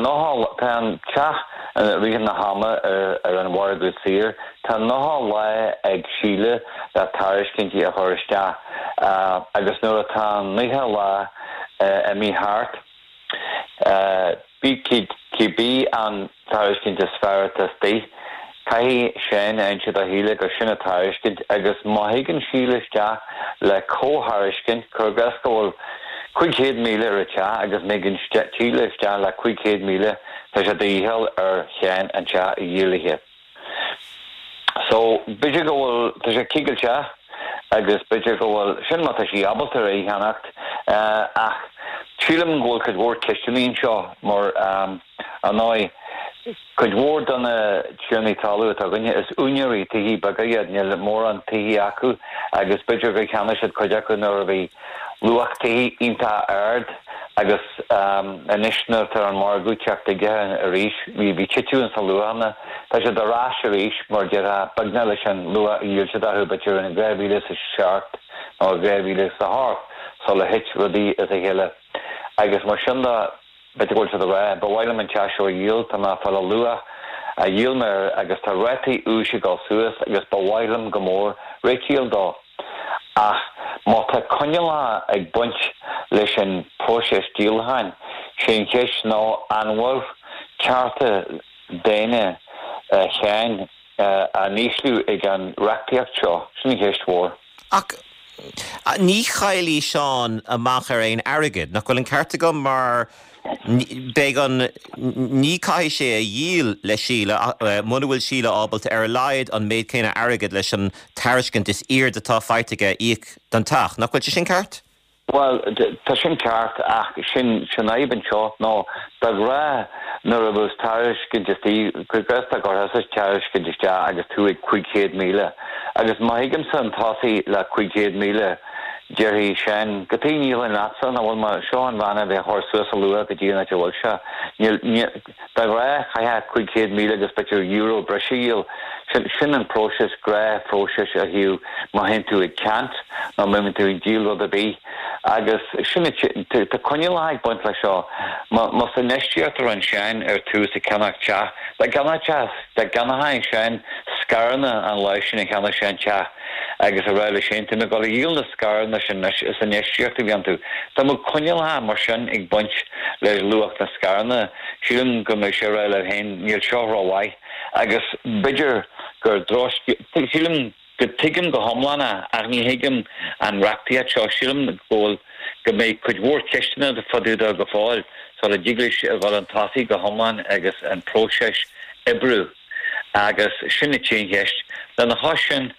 Speaker 4: tá an teach i rith na hama ar an mhargadh saor. Tá nócha lá ag Síle le tairiscintí a chur isteach agus nuair atá an nócha lá imithe thart, cibé an tairiscint is fearr atá istigh, caithfidh Seán a inse do Shíle gur sin an tairiscint agus má thigeann Síle isteach le comhthairiscint, cuir i gcás go bhfuil cúig chéad míle ar an teach agus má thigeann Síle isteach le cúig chéad míle, tá sé de dhícheall ar Sheán an teach a dhíol léi. So, b'fhéidir go bhfuil, tá sé cigilteach agus b'fhéidir go bhfuil, sin má tá sí ábalta é a cheannacht, ach sílim go bhfuil cuid mhór ceisteanna anseo mar, ar ndóigh, Cuid mhór de na tiarnaí talún atá againne, is úinéirí tithe beaga iad, níl mórán tithe acu agus b'fhéidir gur cheannaigh siad cuid acu nuair a bhí luach tithe iontach ard agus anois nuair atá an margadh ag teacht chuige arís, bhí bhí titiú ins na luachanna, tá siad ar ais arís mar déarfá beagnach leis an luach a dhíol siad orthu b'fhéidir in dhá mhíle is a seacht nó dhá mhíle is a hocht sula thit rudaí as a chéile agus mar sin de. B'fhéidir go bhfuil siad ag rá, 'Ba mhaith liom an teach seo a dhíol, tá mé ag fáil an luach a dhíol mé air agus tá rátaí úis ag dul suas agus ba mhaith liom go mór réitíl dó. Ach má tá coinníollacha ag baint leis an bpróiseas díolacháin, sé an cheist ná an bhfuil cearta daonna Sheáin á n-ísliú ag an reachtaíocht seo? Sin an cheist mhór.
Speaker 1: Ach ní chaillfidh Seán amach ar aon airgead, nach bhfuil an ceart agam? Mar beidh an, ní caithfidh sé a dhíol le Síle muna bhfuil Síle ábalta ar a laghad an méid céanna airgid leis an tairiscint is airde atá faighte aige a íoc don teach. Nach bhfuil sé sin ceart?
Speaker 4: Bhuel, tá sin ceart ach sin an fhadhb anseo ná de ghnáth Nuair a bheas tairiscint istigh, cuir i gcás dá gcuirfeása tairiscint isteach agus tú ag cúig chéad míle, agus má thig chun tosaigh le cúig chéad míle, déarfaidh Seán, cad chuige a ndíolfainn leatsa, nach bhfuil mar seo an bhanna a bheith a chur suas a luath go dtí an áit a bhfuil sé. Níl, níl, de ghnáth chaithfeá cúig chéad míle agus b'fhéidir euro breise a dhíol. Sin, sin an próiseas, gnáthphróiseas a thaobh má théann tú ag ceant nó má bhíonn tú ag díol rud ar bith. Agus sin, tá coinníollacha ag baint leis seo. Más infheistíocht a rinne Seán ar tús ag ceannach teach, dá gceannódh teach, dá gceannódh Seán scaireanna an lá sin a cheannaigh sé an teach agus a rá leis féin, tá mé ag dul a dhíol na scaireanna sin anois, is infheistíocht a bhí iontu. Dá mbeadh coinníollacha mar sin ag baint le luach na scaireanna, sílim go mbeadh sé ag rá leis féin, níl seo rómhaith. Agus b'fhéidir gur drochscéal, sílim go dtuigim go hiomlán é ach ní thuigim an reachtaíocht seo. Sílim go bhfuil, go mbeidh cuid mhór ceisteanna fá dtaobh de go fóill sula dtig leis a dhul chun tosaigh go hiomlán agus an próiseas oibriú. Agus sin an t-aon cheist. Lena chois sin,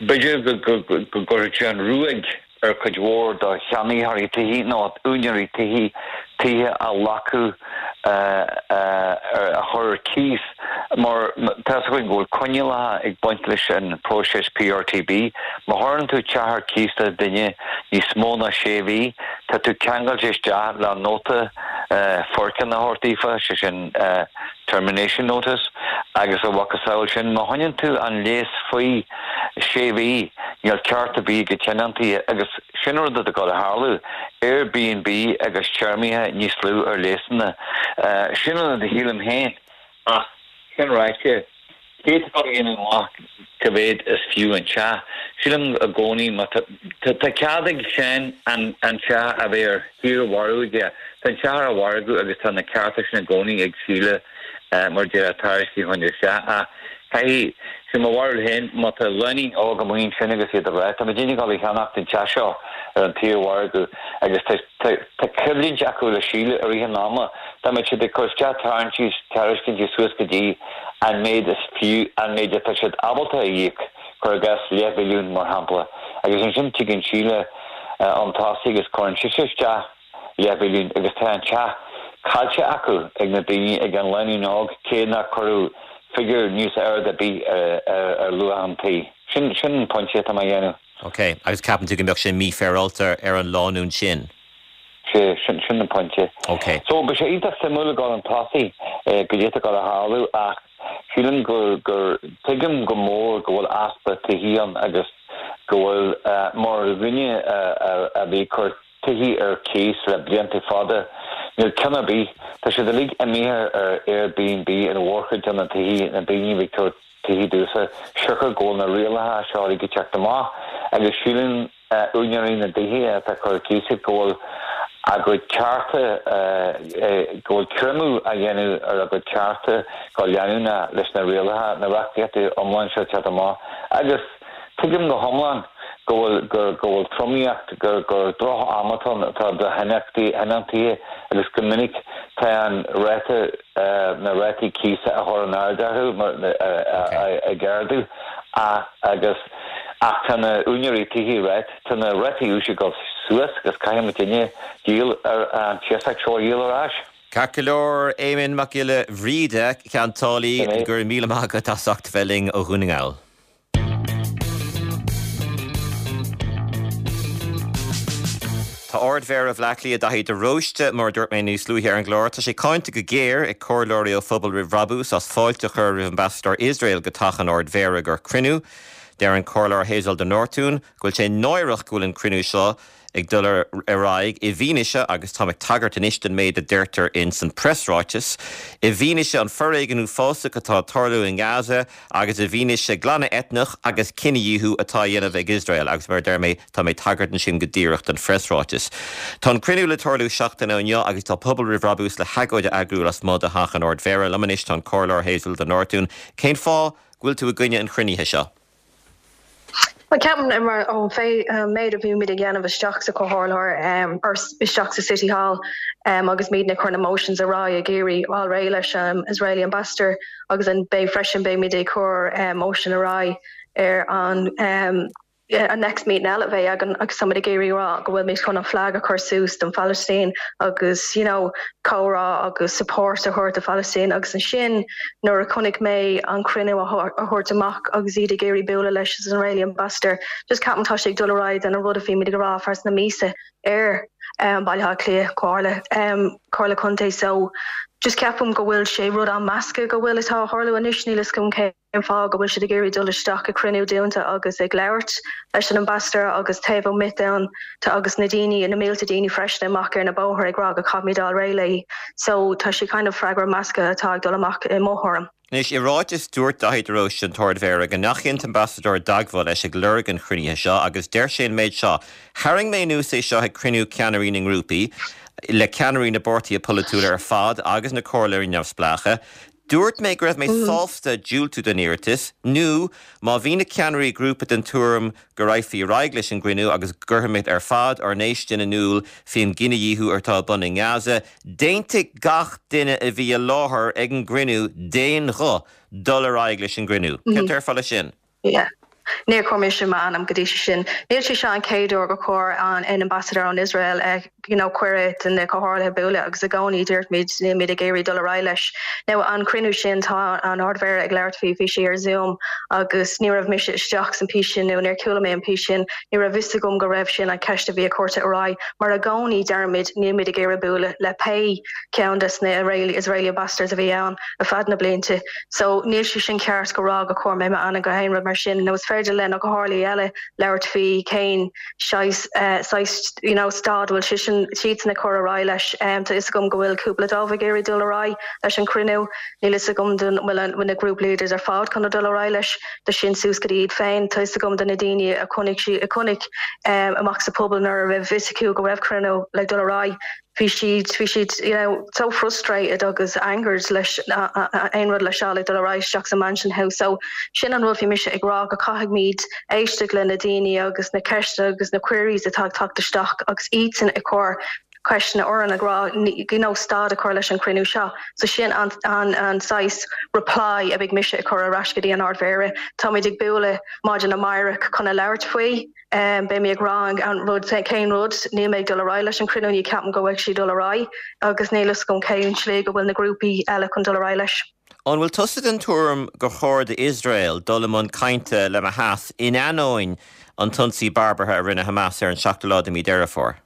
Speaker 4: b'fhéidir go gcuirfeadh sé an ruaig ar chuid mhór de cheannaitheoirí tithe nó úinéirí tithe, tithe a ghlacadh a chur ar cíos mar tá 'fhios againn go bhfuil coinníollacha ag baint leis an próiseas PRTB. Má chuireann tú teach ar cíos le duine níos mó ná sé mhí, tá tú ceangailte isteach le nóta foirceannadh a thabhairt daofa, sé sin termination notice, agus a mhacasamhail sin, má choinníonn tú an léas faoi sé mhí, níl ceart ar bith ag tionóntaí, agus sin rud atá ag dul a tharlú, Airbnb agus téarmaithe níos lú ar léasanna. Sin an rud a shílim féin, ach sin ráite, cé atá ag dul a dhéanamh amach cá mhéad is fiú an teach? Sílim i gcónaí má tá tá cead ag Seán an an teach a bheith ar shaormhargadh aige. Tá an teach ar an mhargadh agus tá na cearta sin i gcónaí ag Síle mar deir tairiscint a chur isteach ach caithfidh sé mo bharúil féin má tá lánúin óg amuigh ansin agus iad ag rá tá muidinne ag dul a cheannacht an teach seo ar an tsaormhargadh agus tá tá tá coimhlint acu le Síle i rith an ama dá mbeadh siad ag cur isteach tarraingtí tairiscintí suas go dtí an méid is fiú an méid atá siad ábalta a íoc cuir i gcás leathmhilliún mar shampla agus ansin tigeann Síle chun tosaigh agus cuireann sise isteach leathmhilliún agus tá an teach caillte acu ag na daoine ag an lánúin óg cé nár cuireadh figiúr níos airde ar bith ar luach an tí. Sin sin an pointe atá mé a dhéanamh.
Speaker 1: Ok, agus ceapann tú go mbeadh sé mífhéaráilte ar an lánúin sin?
Speaker 4: Sea, sin sin an pointe.
Speaker 1: Ok.
Speaker 4: So, beidh sé iontach suimiúil ag dul chun tosaigh goidé atá ag dul a tharlú ach sílim gur gur tuigim go mór go bhfuil easpa tithí ann agus go bhfuil mar dhuine a bhí ag cur tithí ar cíos le blianta fada, níl ceann ar bith, tá siad uilig imithe ar Airbnb an mhórchuid de na tithí, na daoine a bhí ag tabhairt tithí domhsa, siocair go bhfuil na rialacha seo uilig ag teacht amach agus síleann úinéirí na dtithe atá ag cur ar cíos iad go bhfuil a gcuid cearta, go bhfuil creimeadh á dhéanamh ar a gcuid cearta go leanúnach leis na rialacha, na reachtaíochtaí iomlán seo ag teacht amach agus tuigim go hiomlán go bhfuil go bhfuil tromaíocht, gur gur droch-am atá ann atá do thionóntaithe agus go minic tá an ráta, na rátaí cíosa á chur in airde orthu mar ag ardú agus ach tá na úinéirí tithe right, tá na rátaí úis ag dul suas agus caithfidh muidinne díol ar an t-iasacht seo a dhíol ar ais.
Speaker 1: Ceart go leor, Éamonn Mac Giolla Bhríde, ceantálaí, go raibh míle maith agat as ucht bheith linn ó Dhún na nGall. Tá Ard-Mhéara Bhaile Átha Cliath Daithí de Róiste, mar a dúirt mé níos luaithe ar an gclár, tá sé cáinte go géar ag comhairleoirí ó Phobal Roimh Bhrabús as fáilte a chur roimh ambasadóir Iosrael go teach an Ard-Mhéara gur cruinniú. Deir an Comhairleoir Hazel de Nortúin go bhfuil sé náireach go bhfuil an cruinniú seo ag dul ar aghaidh i bhfianaise, agus táim ag tagairt anois don méid a deirtear in san preasráiteas, i bhfianaise an foréigean uafásach atá ag tarlú i nGaza agus i bhfianaise glanadh eitneach agus cinedhíothú atá á dhéanamh ag Iosrael, agus mar a deir mé, tá mé ag tagairt ansin go díreach don phreasráiteas. Tá an cruinniú le tarlú seachtain ó inniu agus tá Pobal Roimh Bhrabús le hagóid a eagrú lasmuigh de theach an Ard-Mhéara. Liom anois tá an Comhairleoir Hazel de Nortúin. Cén fáth go bhfuil tú i gcoinne an chruinnithe seo?
Speaker 5: Bhuel, ceapaim mar ón méid a bhí muid ag dhéanamh isteach sa Chomhairle or isteach sa City Hall agus muid ag cur na motions ar aghaidh ag iarraidh fháil réidh leis an Israeli ambassador agus an beidh freisin beidh muid ag cur motion ar aghaidh ar an an next meeting eile a bheidh againn agus táimid ag iarraidh rá go bhfuil muid chun an flag a chur suas don Phalaistín agus you know comhrá agus support a thabhairt do Phalaistín agus ansin nuair a chonaic mé an cruinniú a thabhairt amach agus iad ag iarraidh bualadh leis an Israeli ambassador just ceapaim tá sé ag dul ar aghaidh an rud a bhí muid ag rá feadh na míosa ar um, Baile Átha Cliath Comhairle um, Comhairle Contae so just ceapaim go bhfuil sé rud an measctha go bhfuil atá ag tarlú anois níl a fhios agam cén fáth go bhfuil siad ag iarraidh dul isteach i cruinniú dúnta agus ag labhairt leis an ambassador agus taobh amuigh ann tá agus na daoine na mílte daoine freisin amach ar na bóithre ag rá go gcaithfimid dul réidh léi so tá sé kind of freagra measctha atá ag dul amach i mo thuairim.
Speaker 1: Anois i ráiteas dúirt Daithí de Róiste an tArd-Mhéara go ndeachaigh an t-ambasadóir i dteagmháil leis ag lorg an chruinnithe seo agus deir sé an méid seo, Tharraing mé anuas é seo ag cruinniú ceannairí na ngrúpaí, le ceannairí na bpáirtithe polaitiúla ar fad agus na comhairleoirí neamhspleácha. Dúirt mé go raibh mé sásta diúltú don iarratas, nó má bhí na ceannairí grúpa den tuairim go rachfaí ar aghaidh leis an gcruinniú agus go gcuirfimid ar fad ár ndéistin in iúl faoin gcinedhíothú atá ar bun i nGaza, d'aontaigh gach duine a bhí i láthair ag an gcruinniú d'aon ghuth dul ar aghaidh leis an gcruinniú. Cén déarfá leis sin?
Speaker 5: Yeah. Níor chuir mise m'ainm go dtí sin. Níl sé seo an chéad uair gur chuir an an ambassador ón Israel uh, you know, cuireadh do na comhairleoirí bualadh agus i gcónaí dúirt níl muid ag iarraidh dul ar aghaidh leis. Now an cruinniú sin tá an Ardmhéara ag labhairt faoi bhí sé ar Zoom agus ní raibh mise isteach san pí sin nó níor chuala mé an pí sin, ní raibh fhios agam go raibh sin an ceist a bhí a cuireadh ar aghaidh, mar i gcónaí deirimid níl muid ag iarraidh bualadh le pé ceann des na Israeli Israeli ambassadors a bhí ann ar feadh na blianta. So níl sé sin ceart go rá go chuir mé m'ainm go haon rud mar sin nó is féidir le na comhairleoirí eile labhairt faoi cén saghas you know, stad bhfuil sé sin siad na chur ar aghaidh leis um, tá fhios agam go bhfuil cúpla dóibh ag iarraidh dul ar aghaidh leis an cruinniú níl fhios agam den bhfuil na group leaders ar fad chun dul ar aghaidh leis de sin suas go iad féin tá fhios agam de na daoine a chonaic si a chonaic um, amach sa pobal nuair a raibh fhios acu go raibh cruinniú le dul ar aghaidh bhí siad bhí siad you know so frustrated agus angered leis aon rud le seo le dul ar aghaidh isteach sa Mansion House so sin an rud bhí mise ag rá go caithfimid éisteacht le na daoine agus na ceisteanna agus na queries atá ag teacht isteach agus iadsan ag cur ceisteanna orainn ag rá you know stad a chur leis an cruinniú seo so sin an an an saghas reply a bheidh mise ag cur ar ais go dtí an Ardmhéara Táimid ag bualadh maidin amárach chun a labhairt faoi um, beidh mé ag rá an rud cén rud níl mé ag dul ar aghaidh leis an cruinniú ní ceapaim go bhfuil sí dul ar aghaidh agus níl fhios agam cén slí go bhfuil na grúpaí eile chun dul ar aghaidh leis.
Speaker 1: An bhfuil tusa den tuairim gur chóir d'Iosrael dul i mbun cainte le Hamas in ainneoin an t-ionsaí barbartha a rinne Hamas ar an seachtú lá de mhí Deireadh Fómhair?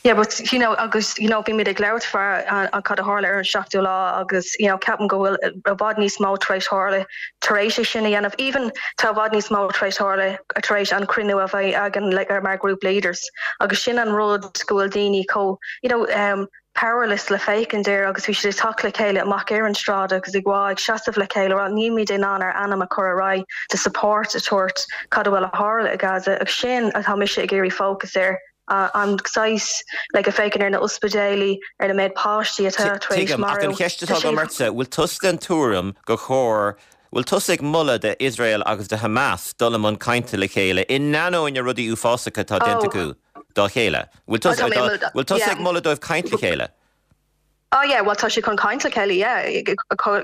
Speaker 5: Yeah, but you know agus you know bhí muid ag labhairt faoi an cad a tharla ar an seachtú lá agus you know ceapaim go bhfuil i bhfad níos mó tar éis tarlú tar éis é sin a dhéanamh even tá i bhfad níos mó tar éis tarlú tar éis an cruinniú a bheith againn like, ar mar group leaders agus sin an rud go bhfuil daoine chomh you know um, powerless le féachaint air agus bhí siad ag teacht le chéile amach ar an stráid agus ag wá ag seasamh le chéile rá nílimid in ann ár n-ainm a chur ar aghaidh de support a tabhairt cad a bhfuil ag tarlú i Gaza agus sin atá mise ag iarraidh focus air an saghas le go féchan ar na ospidéalaí ar na méid páistí atá
Speaker 1: ach an cheist atá agam ortsa bhfuil tusa den tuairim gur chóir bhfuil tusa ag moladh d'Iosrael agus do Hamas dul i mbun cainte le chéile in ainneoin na rudaí uafásacha atá déanta acu dá chéile. Bhfuil tusa ag moladh dóibh caint le chéile?
Speaker 5: Oh yeah, well tá sé chun caint le chéile yeah,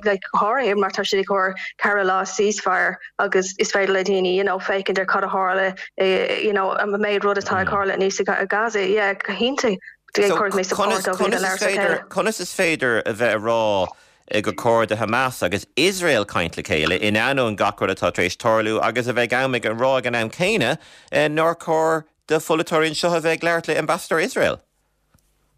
Speaker 5: like háirithe mar tá sé chóir ceithre lá ceasefire agus is féidir le daoine you know féachaint ar cad a tharla eh, you know an méid rud atá ag tarlú níos i Gaza yeah go hiontach
Speaker 1: Conas is féidir a bheith ag rá gur chóir do Hamas agus Iosrael caint le chéile in ainneoin gach rud atá tar éis tarlú agus a bheith am ag an rá ag an am céanna nár chóir do pholaiteoirí anseo a bheith ag labhairt le ambassador Israel.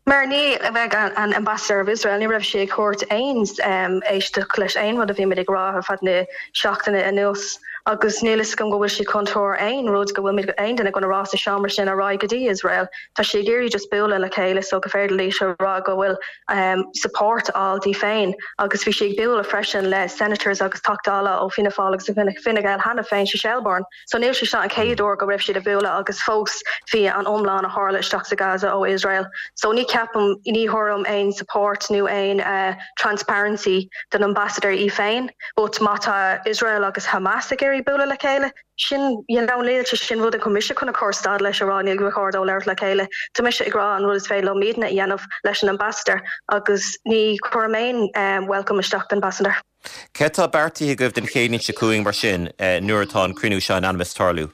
Speaker 5: Mar ní a bheith an ambassador of Israel ní raibh sé ag tabhairt aon um, éisteacht leis aon rud a bhí muid ag rá ar feadh na seachtaine anuas agus níl fhios agam go bhfuil sé chun tabhairt aon rud go bhfuil aon duine gona rá sa seomra sin ar aghaidh go dtí Israel. Tá sé ag iarraidh just bualadh le chéile so go féidir leis a rá go bhfuil um, support á di féin agus bhí sé ag bualadh freisin le senators agus Teachtaí Dála ó Fianna Fáil agus Fine Gael cheana féin sa Shelbourne. So níl sé seo an chéad uair go raibh siad ag bualadh agus fós bhí an iomlán a tharla isteach sa Gaza ó Israel. So ní ceapaim ní thuairim aon support nó aon uh, transparency den ambassador í féin, but má tá Israel agus Hamas ag iarraidh bualadh le chéile sin you know níl sé sin rud an commission chun a chur stad leis a rá níl gur chóir dóibh labhairt le chéile Tá mise ag rá an rud is féidir leo muidne a dhéanamh leis an ambassador agus ní chuir aon um, welcome isteach den ambassador.
Speaker 1: Cé tá beartaithe agaibh den Chéadaoin seo chugainn mar sin eh, nuair atá an cruinniú seo in ainm is tarlú.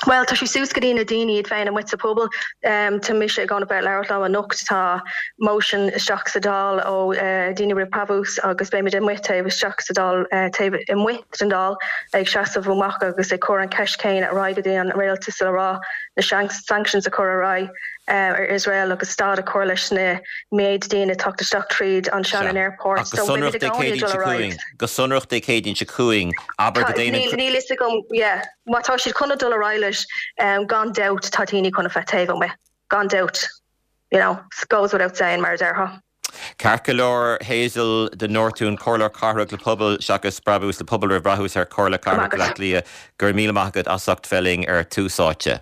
Speaker 5: Well tá sé suas go dtí na daoine iad féin amuigh sa pobal um, tá mise ag gabháil a bheith labhairt leo anocht tá motion isteach sa Dáil ó uh, daoine roimh brabús agus beimid amuigh taobh isteach sa Dáil uh, taobh amuigh den Dáil ag seasamh amach agus ag cur an ceist céanna ar aghaidh go dtí an rialtas le rá na sanctions a chur ar aghaidh uh, ar Israel agus stad a chur leis na méid daoine teacht isteach tríd an Shannon Airport.
Speaker 1: So sonrach Dé Céadaoin go sonrach Dé Céadaoin seo chugainn abair go
Speaker 5: Níl níl fhios agam yeah má tá siad chun dul ar aghaidh leis um, gan dabht tá daoine chun a bheith taobh amuigh gan dabht you know goes without saying mar a déarfá.
Speaker 1: Ceart go leor Hazel de Nortún Comhairleoir Cathrach le pobal seachas brabús le pobal roimh bhrabús ar Chomhairle Cathrach Bhaile Átha Cliath go raibh míle maith agat as ucht bheith linn ar Tús Áite.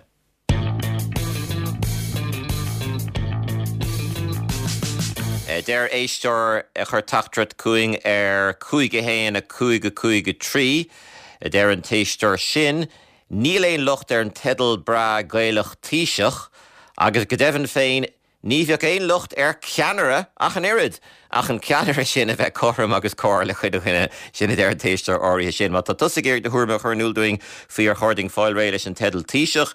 Speaker 1: Deir éisteoir a chuir teachtaireacht chugainn ar cúig a haon a cúig a cúig a trí, deir an t-éisteoir sin, Níl aon locht ar an teideal breá Gaelach Taoiseach agus go deimhin féin ní bheadh aon locht ar ceannaire ach an oiread, ach an ceannaire sin a bheith cothrom agus cóir le chuile dhuine, sin a deir an t-éisteoir áirithe sin. Má tá tusa ag iarraidh do thuairim a chur in iúl dúinn faoi ar chóir dúinn fáil réidh leis an teideal Taoiseach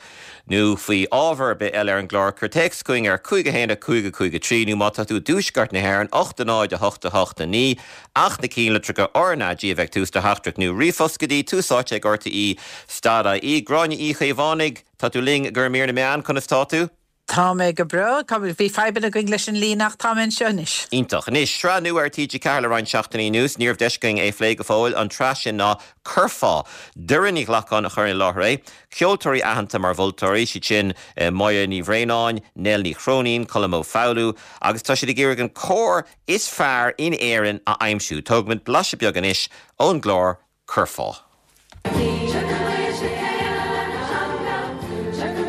Speaker 1: nó faoi ábhar ar bith eile ar an gclár, cuir téacs chugainn ar cúig a haon a cúig a cúig a trí nó má tá tú i dtuaisceart na hÉireann, ocht a náid a hocht a hocht a naoi, ach na cinnlitreacha RnaG a bheith ag tús do theachtaireacht nó ríomhphost go dtí tús áite ag RTE stad IE. Gráinne Uí Chaomhánaigh, tá tú linn i gcomhair mír na meán, conas tá tú?
Speaker 6: Tá mé go breá, bhí fadhbanna againn leis an líne ach tá mé anseo anois.
Speaker 1: Iontach. Anois, sraith nua ar T G ceathair le roinnt seachtainí anuas, ní raibh deis againn é a phlé go fóill, an tsraith sin ná Curfá. Doireann Ní Ghlacáin a chuireann i láthair é. Ceoltóirí aitheanta mar mholtóirí, siad sin Moya Ní Bhraonáin, Nell Ní Chróinín, Colm Ó Foghlú, agus tá siad ag iarraidh an cór is fearr in Éirinn a aimsiú. Tógfaimid blaiseadh beag anois ón gclár Curfá.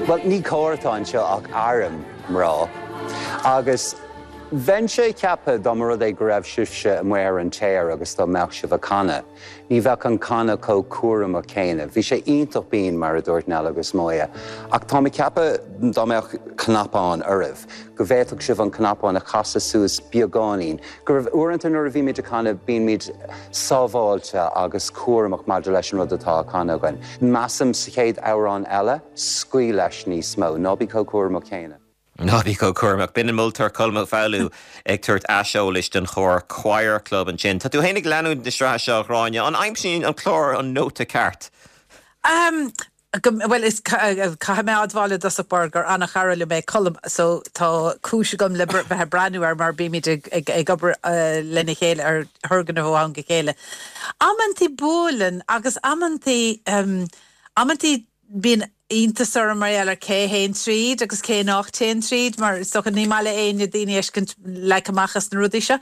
Speaker 7: Bhuel, ní cór atá anseo ach arm mná. Agus bheinnse ag ceapadh dá mba rud é go raibh sibhse amuigh ar an téar agus dá mbeadh sibh ag canadh, ní bheadh an canadh chomh cúramach céanna. Bhí sé iontach binn, mar a dúirt Nell agus Moya. Ach táim ag ceapadh dá mbeadh cnapán oraibh, go bhféadfadh sibh an cnapán a chasadh suas beagáinín, go raibh uaireanta nuair a bhímid ag canadh bímid sábháilte agus cúramach maidir leis an rud atá á chanadh againn. Measaim sa chéad amhrán eile, scaoil leis níos mó, ná bí chomh cúramach céanna.
Speaker 1: Ná bí chomh cúramach. B'in an moltóir Colm Ó Foghlú ag tabhairt aiseolais don chór Choir Club ansin. Tá tú féin ag leanúint na sraithe seo, a Ghráinne. An aimsíonn an clár an nóta ceart?
Speaker 6: Um, bhuel, is caithfidh mé admháil i dtosach báire gur an-chara liom é Colm, so tá cúis agam le bheith ag breathnú air mar bímid ag, ag, ag obair uh, lena chéile ar thurgnamh ó am go chéile. Amantaí buaileann agus amantaí um, amantaí bíonn iontas orm mar gheall ar cé théann tríd agus cé nach téann tríd, mar is dócha ní maith le éinne daoine a fheiscint leagtha amach as na rudaí seo.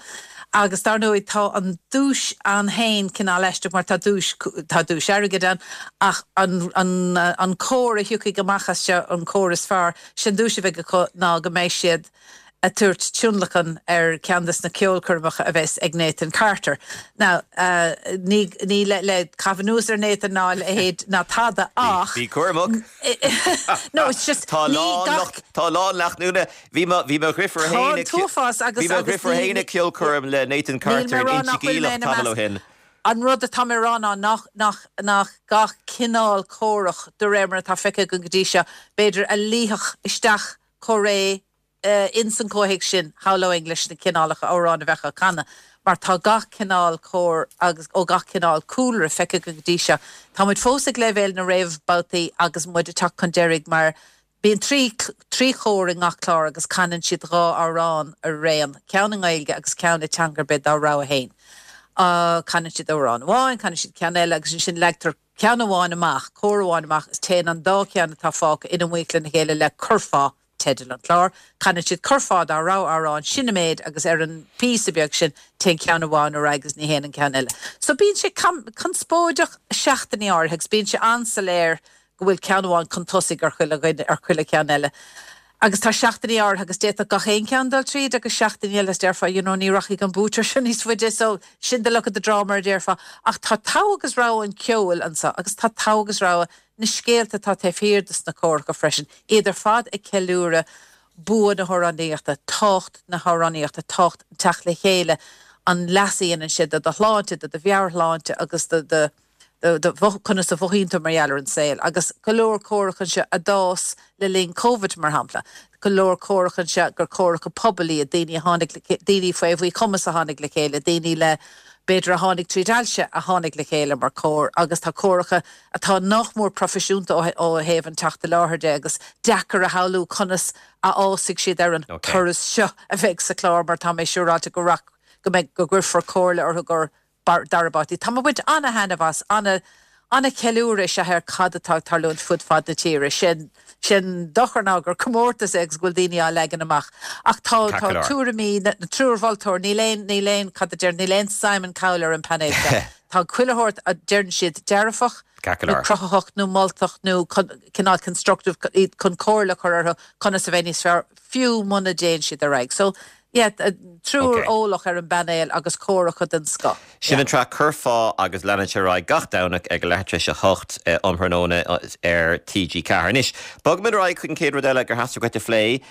Speaker 6: Agus dar ndóigh tá an duais ann féin cineál aisteach mar tá duais, tá duais airgid ann ach an, an, an cór a thiocfaidh amach as seo, an cór is fearr, sin duais a bheidh acu ná go mbeidh siad ag tabhairt tionlacan ar ceann des na ceolchoirmeacha a bheas ag Nathan Carter. Now, ní, ní le, le caitheamh anuas ar Nathan ná a leithéid ná tada ach.
Speaker 1: Bí cúramach.
Speaker 6: No, it's just,
Speaker 1: Tá
Speaker 6: ní
Speaker 1: lán
Speaker 6: gach.
Speaker 1: lucht, tá lán lucht leanúna. Bhí mo, bhí mo dheirfiúr
Speaker 6: Tá
Speaker 1: féin
Speaker 6: an
Speaker 1: ag,
Speaker 6: t-uafás agus,
Speaker 1: bhí mo
Speaker 6: agus
Speaker 1: dheirfiúr
Speaker 6: ní,
Speaker 1: féin ag ceolchoirm le Nathan
Speaker 6: níl
Speaker 1: Carter
Speaker 6: mé
Speaker 1: in
Speaker 6: rá
Speaker 1: Inse
Speaker 6: nach bhfuil mé
Speaker 1: Geimhleach
Speaker 6: ina
Speaker 1: tamall ó
Speaker 6: measc.
Speaker 1: shin.
Speaker 6: An rud atá mé a rá ná nach, nach, nach gach cineál córach de réir mar atá feicthe againn go dtí seo, b'fhéidir a luífeadh isteach chomh réidh ins an chomhthéacs sin, shamhlóinn leis na cineálacha amhrán a bheadh á canadh, mar tá gach cineál cór agus ó gach cineál cúlra feicthe againn go dtí seo. Tá muid fós ag leibhéal na réamhbhabhtaí agus muid ag teacht chun deiridh mar bíonn trí trí chór i ngach clár agus canann siad dhá amhrán araon, ceann i nGaeilge agus ceann i dteanga ar bith dá rogha féin. Canann siad amhrán amháin, canann siad ceann eile agus ansin leagtar ceann amháin amach, cór amháin amach is téann an dá cheann atá fágtha in iomaíocht lena chéile le curfá. Teideal an chláir. Canann siad curfá dá rogha amhrán, sin an méid agus ar an bpíosa beag sin téann ceann amháin ar aghaidh agus ní théann an ceann eile. So bíonn sé conspóideach seachtainí áirithe agus bíonn sé an-soiléir go bhfuil ceann amháin chun tosaigh ar chuile dhuine, ar chuile cheann eile. Agus tá seachtainí áirithe agus d'fhéadfadh gach aon cheann dul tríd agus seachtainí eile is déarfá you know ní rachaidh an buaiteoir seo níos faide so sin the luck of the draw mar a déarfá. Ach tá togha agus rogha an cheoil anseo agus tá togha agus rogha na scéalta atá taobh thiar de sna córacha freisin, iad ar fad ag ceiliúradh bua na hamhránaíochta, tábhacht na hamhránaíochta, tábhacht an teacht le chéile, an leas a dhéanann sé do do shláinte, do do mheabhairshláinte agus do do conas a mhothaíonn tú mar gheall ar an saol, agus go leor comhrac anseo a d'fhás le linn Covid mar shampla, go leor comhrac anseo gur comhraca pobail iad, daoine a tháinig le, daoine faoi mhíchumas a tháinig le chéile, daoine le, b'fhéidir a tháinig tríd ailse a tháinig le chéile mar comhar agus tá comhraca atá nach mór proifisiúnta ó thaobh an teacht i láthair de agus deacair a shamhlú conas a fhásfaidh siad ar an turas seo a bheidh sa chlár mar tá mé siúráilte go rac go mbeidh go gcuirfear comhairle orthu gur dara babhtaí. Tá mé ag baint ana-thaitneamh as, ana ana-cheiliúradh is ea ar cad atá ag tarlúint fud fad na tíre. Sin sin dochar ná gur comórtas é agus go bhfuil daoine á leagan amach. Ach tá tá tuairimí na triúr mholtóir, níl aon níl aon cad a deir níl aon Simon Cowell ar an painéal seo. Tá chuile shórt a deireann siad dearfach nó cruthaitheach nó moltach nó cineál constructive chun comhairle a chur orthu conas a bheith níos fearr fiú muna dtéann siad ar aghaidh. So yeah, triúr eolach ar an bpainéal agus comhracha den scoth.
Speaker 1: Sin an tsraith Curfá agus leanann sé ar aghaidh gach Domhnach ag a leath tar éis a hocht um thráthnóna ar T G ceathair. Anois, bogfaimid ar aghaidh chuig an chéad rud eile gur theastaigh uait a phlé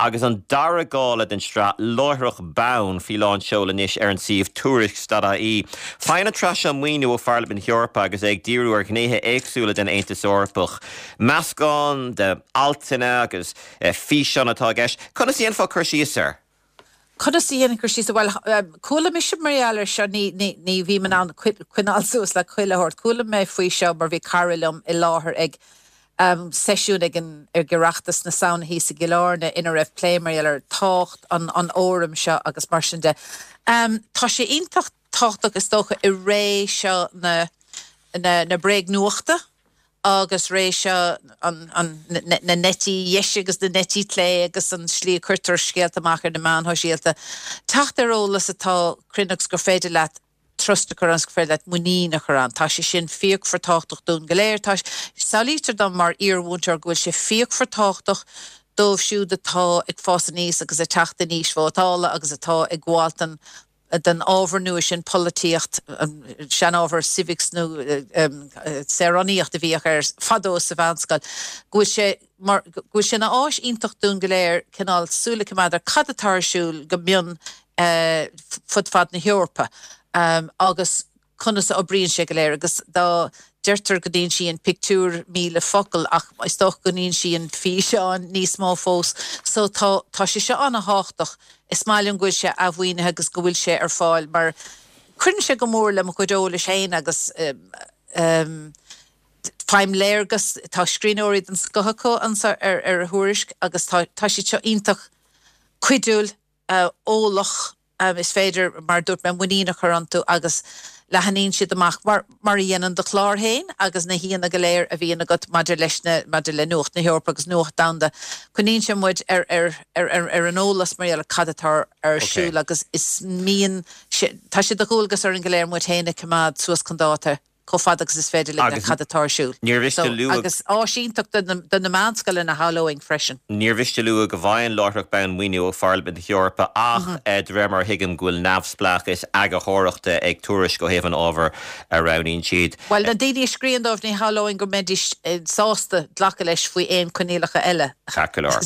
Speaker 1: agus an dara gála den tsraith Láithreach Bonn faoi lán seoil anois ar an suíomh tuairisc dot I E. Faigheann an tsraith seo maoiniú ó Pharlaimint na hEorpa agus é ag díriú ar ghnéithe éagsúla den Aontas Eorpach. Meascán de altanna agus físeáin atá i gceist. Conas a dhéanfá cur síos air?
Speaker 6: Conas a dhéanfainn cur síos? Bhuel, chuala mise mar gheall air seo, ní, ní, ní bhím in ann coinneáil suas le chuile shórt. Chuala mé faoi seo mar bhí cara liom i láthair ag um, seisiún ag an ag Oireachtas na Samhna thíos i gCill Airne ina raibh plé mar gheall ar tábhacht an, an fhóraim seo agus mar sin de. Um, tá sé iontach tábhachtach is dócha i ré seo na, na, na bréagnuachta agus ré seo an, an, na, na n-eití dheise agus na n-eití clé agus an slí a cuirtear scéalta amach ar na meáin shóisialta. Teacht ar eolas atá cruinn agus gur féidir leat trust a chur ann, gur féidir leat muinín a chur ann. Tá sé sin fíochmhar tábhachtach dúinn go léir. Tá, samhlaítear dom mar iarmhúinteoir go bhfuil sé fíochmhar tábhachtach dóibh siúd atá ag fás aníos agus ag teacht in aois vótála agus atá ag gabháil den den ábhar nua sin, polaitíocht, an seanábhar civics nó saoránaíocht a bhíodh air fadó sa mheánscoil, go bhfuil sé mar, go bhfuil sé ina áis iontach dúinn go léir cineál súil a choimeád ar cad atá ar siúl go mion fud fad na hEorpa agus conas a oibríonn sé go léir agus dá deirtear go n-insíonn pictiúr míle focal ach is dócha go n-insíonn físeán níos mó fós. So tá tá sé seo ana-thábhachtach. Is maith liom go bhfuil sé athmhaoinithe agus go bhfuil sé ar fáil mar cuireann sé go mór le mo chuid eolais féin agus um, faighim léargas, tá scríbhneoirí den scoth acu anseo ar ar Thuairisc agus tá tá siad seo iontach cuidiúil, uh, eolach Is féidir, mar a dúirt mé, muinín a chur iontu agus leathnaíonn siad amach mar mar a dhéanann do chlár féin agus na haíonna go léir a bhíonn agat maidir leis na maidir le nuacht na hEorpa agus nuacht domhanda. Coinníonn sé muid ar ar ar ar ar an eolas mar gheall ar cad atá ar siúl agus is mian tá sé de dhualgas orainn go léir muid féin a choimeád suas chun dáta. chomh fada agus is féidir linn le cad atá ar siúl.
Speaker 1: Níor mhiste a lua.
Speaker 6: Agus áis iontach do na meánscoileanna a shamhlóinn freisin.
Speaker 1: Níor mhiste a lua go bhfaigheann Láithreach Bonn maoiniú ó Pharlaimint na hEorpa ach de réir mar a thuigim go bhfuil neamhspleáchas eagarthóireachta ag Tuairisc ó thaobh an ábhair a roghnaíonn siad.
Speaker 6: Bhuel, na daoine a scríobhann dóibh ní shamhlóinn go mbeidís sásta glacadh leis faoi aon choinníollacha eile.
Speaker 1: Ceart go leor.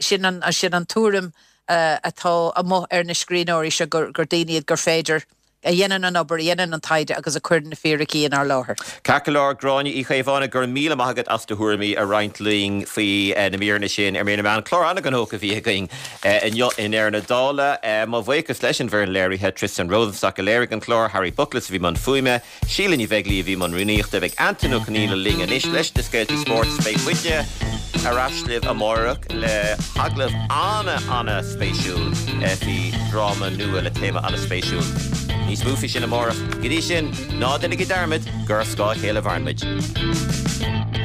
Speaker 6: Sin an tuairim atá amuigh ar na scríbhneoirí seo gur daoine iad gur féidir a dhéanann an obair, a dhéanann an taighde agus a chuireann na fíricí inár láthair.
Speaker 1: Ceart go leor, Gráinne Uí Chaomhánaigh, go raibh míle maith agat as do thuairimí a roinnt linn faoi na míreanna sin ar Mír na Meán. Clár an-ghnóthach a bhí againn inniu i ndeireadh na dála. Mo bhuíochas leis an bhfoireann léirithe, Tristan Rosenstock a léirigh an clár, Harry Bookless a bhí i mbun fuaime, Síle Ní Bheaglaoí a bhí i mbun rúnaíochta. Beidh Antain Ó Conghaile linn anois leis na scéaltaí spóirt. Beidh muidne ar ais libh amárach le hagallamh ana-ana-spéisiúil faoi dhráma nua le téama ana-spéisiúil. Níos mó faoi sin amárach. Go dtí sin, ná déanaigí dearmad gur ar scáth a chéile a mhaireann muid.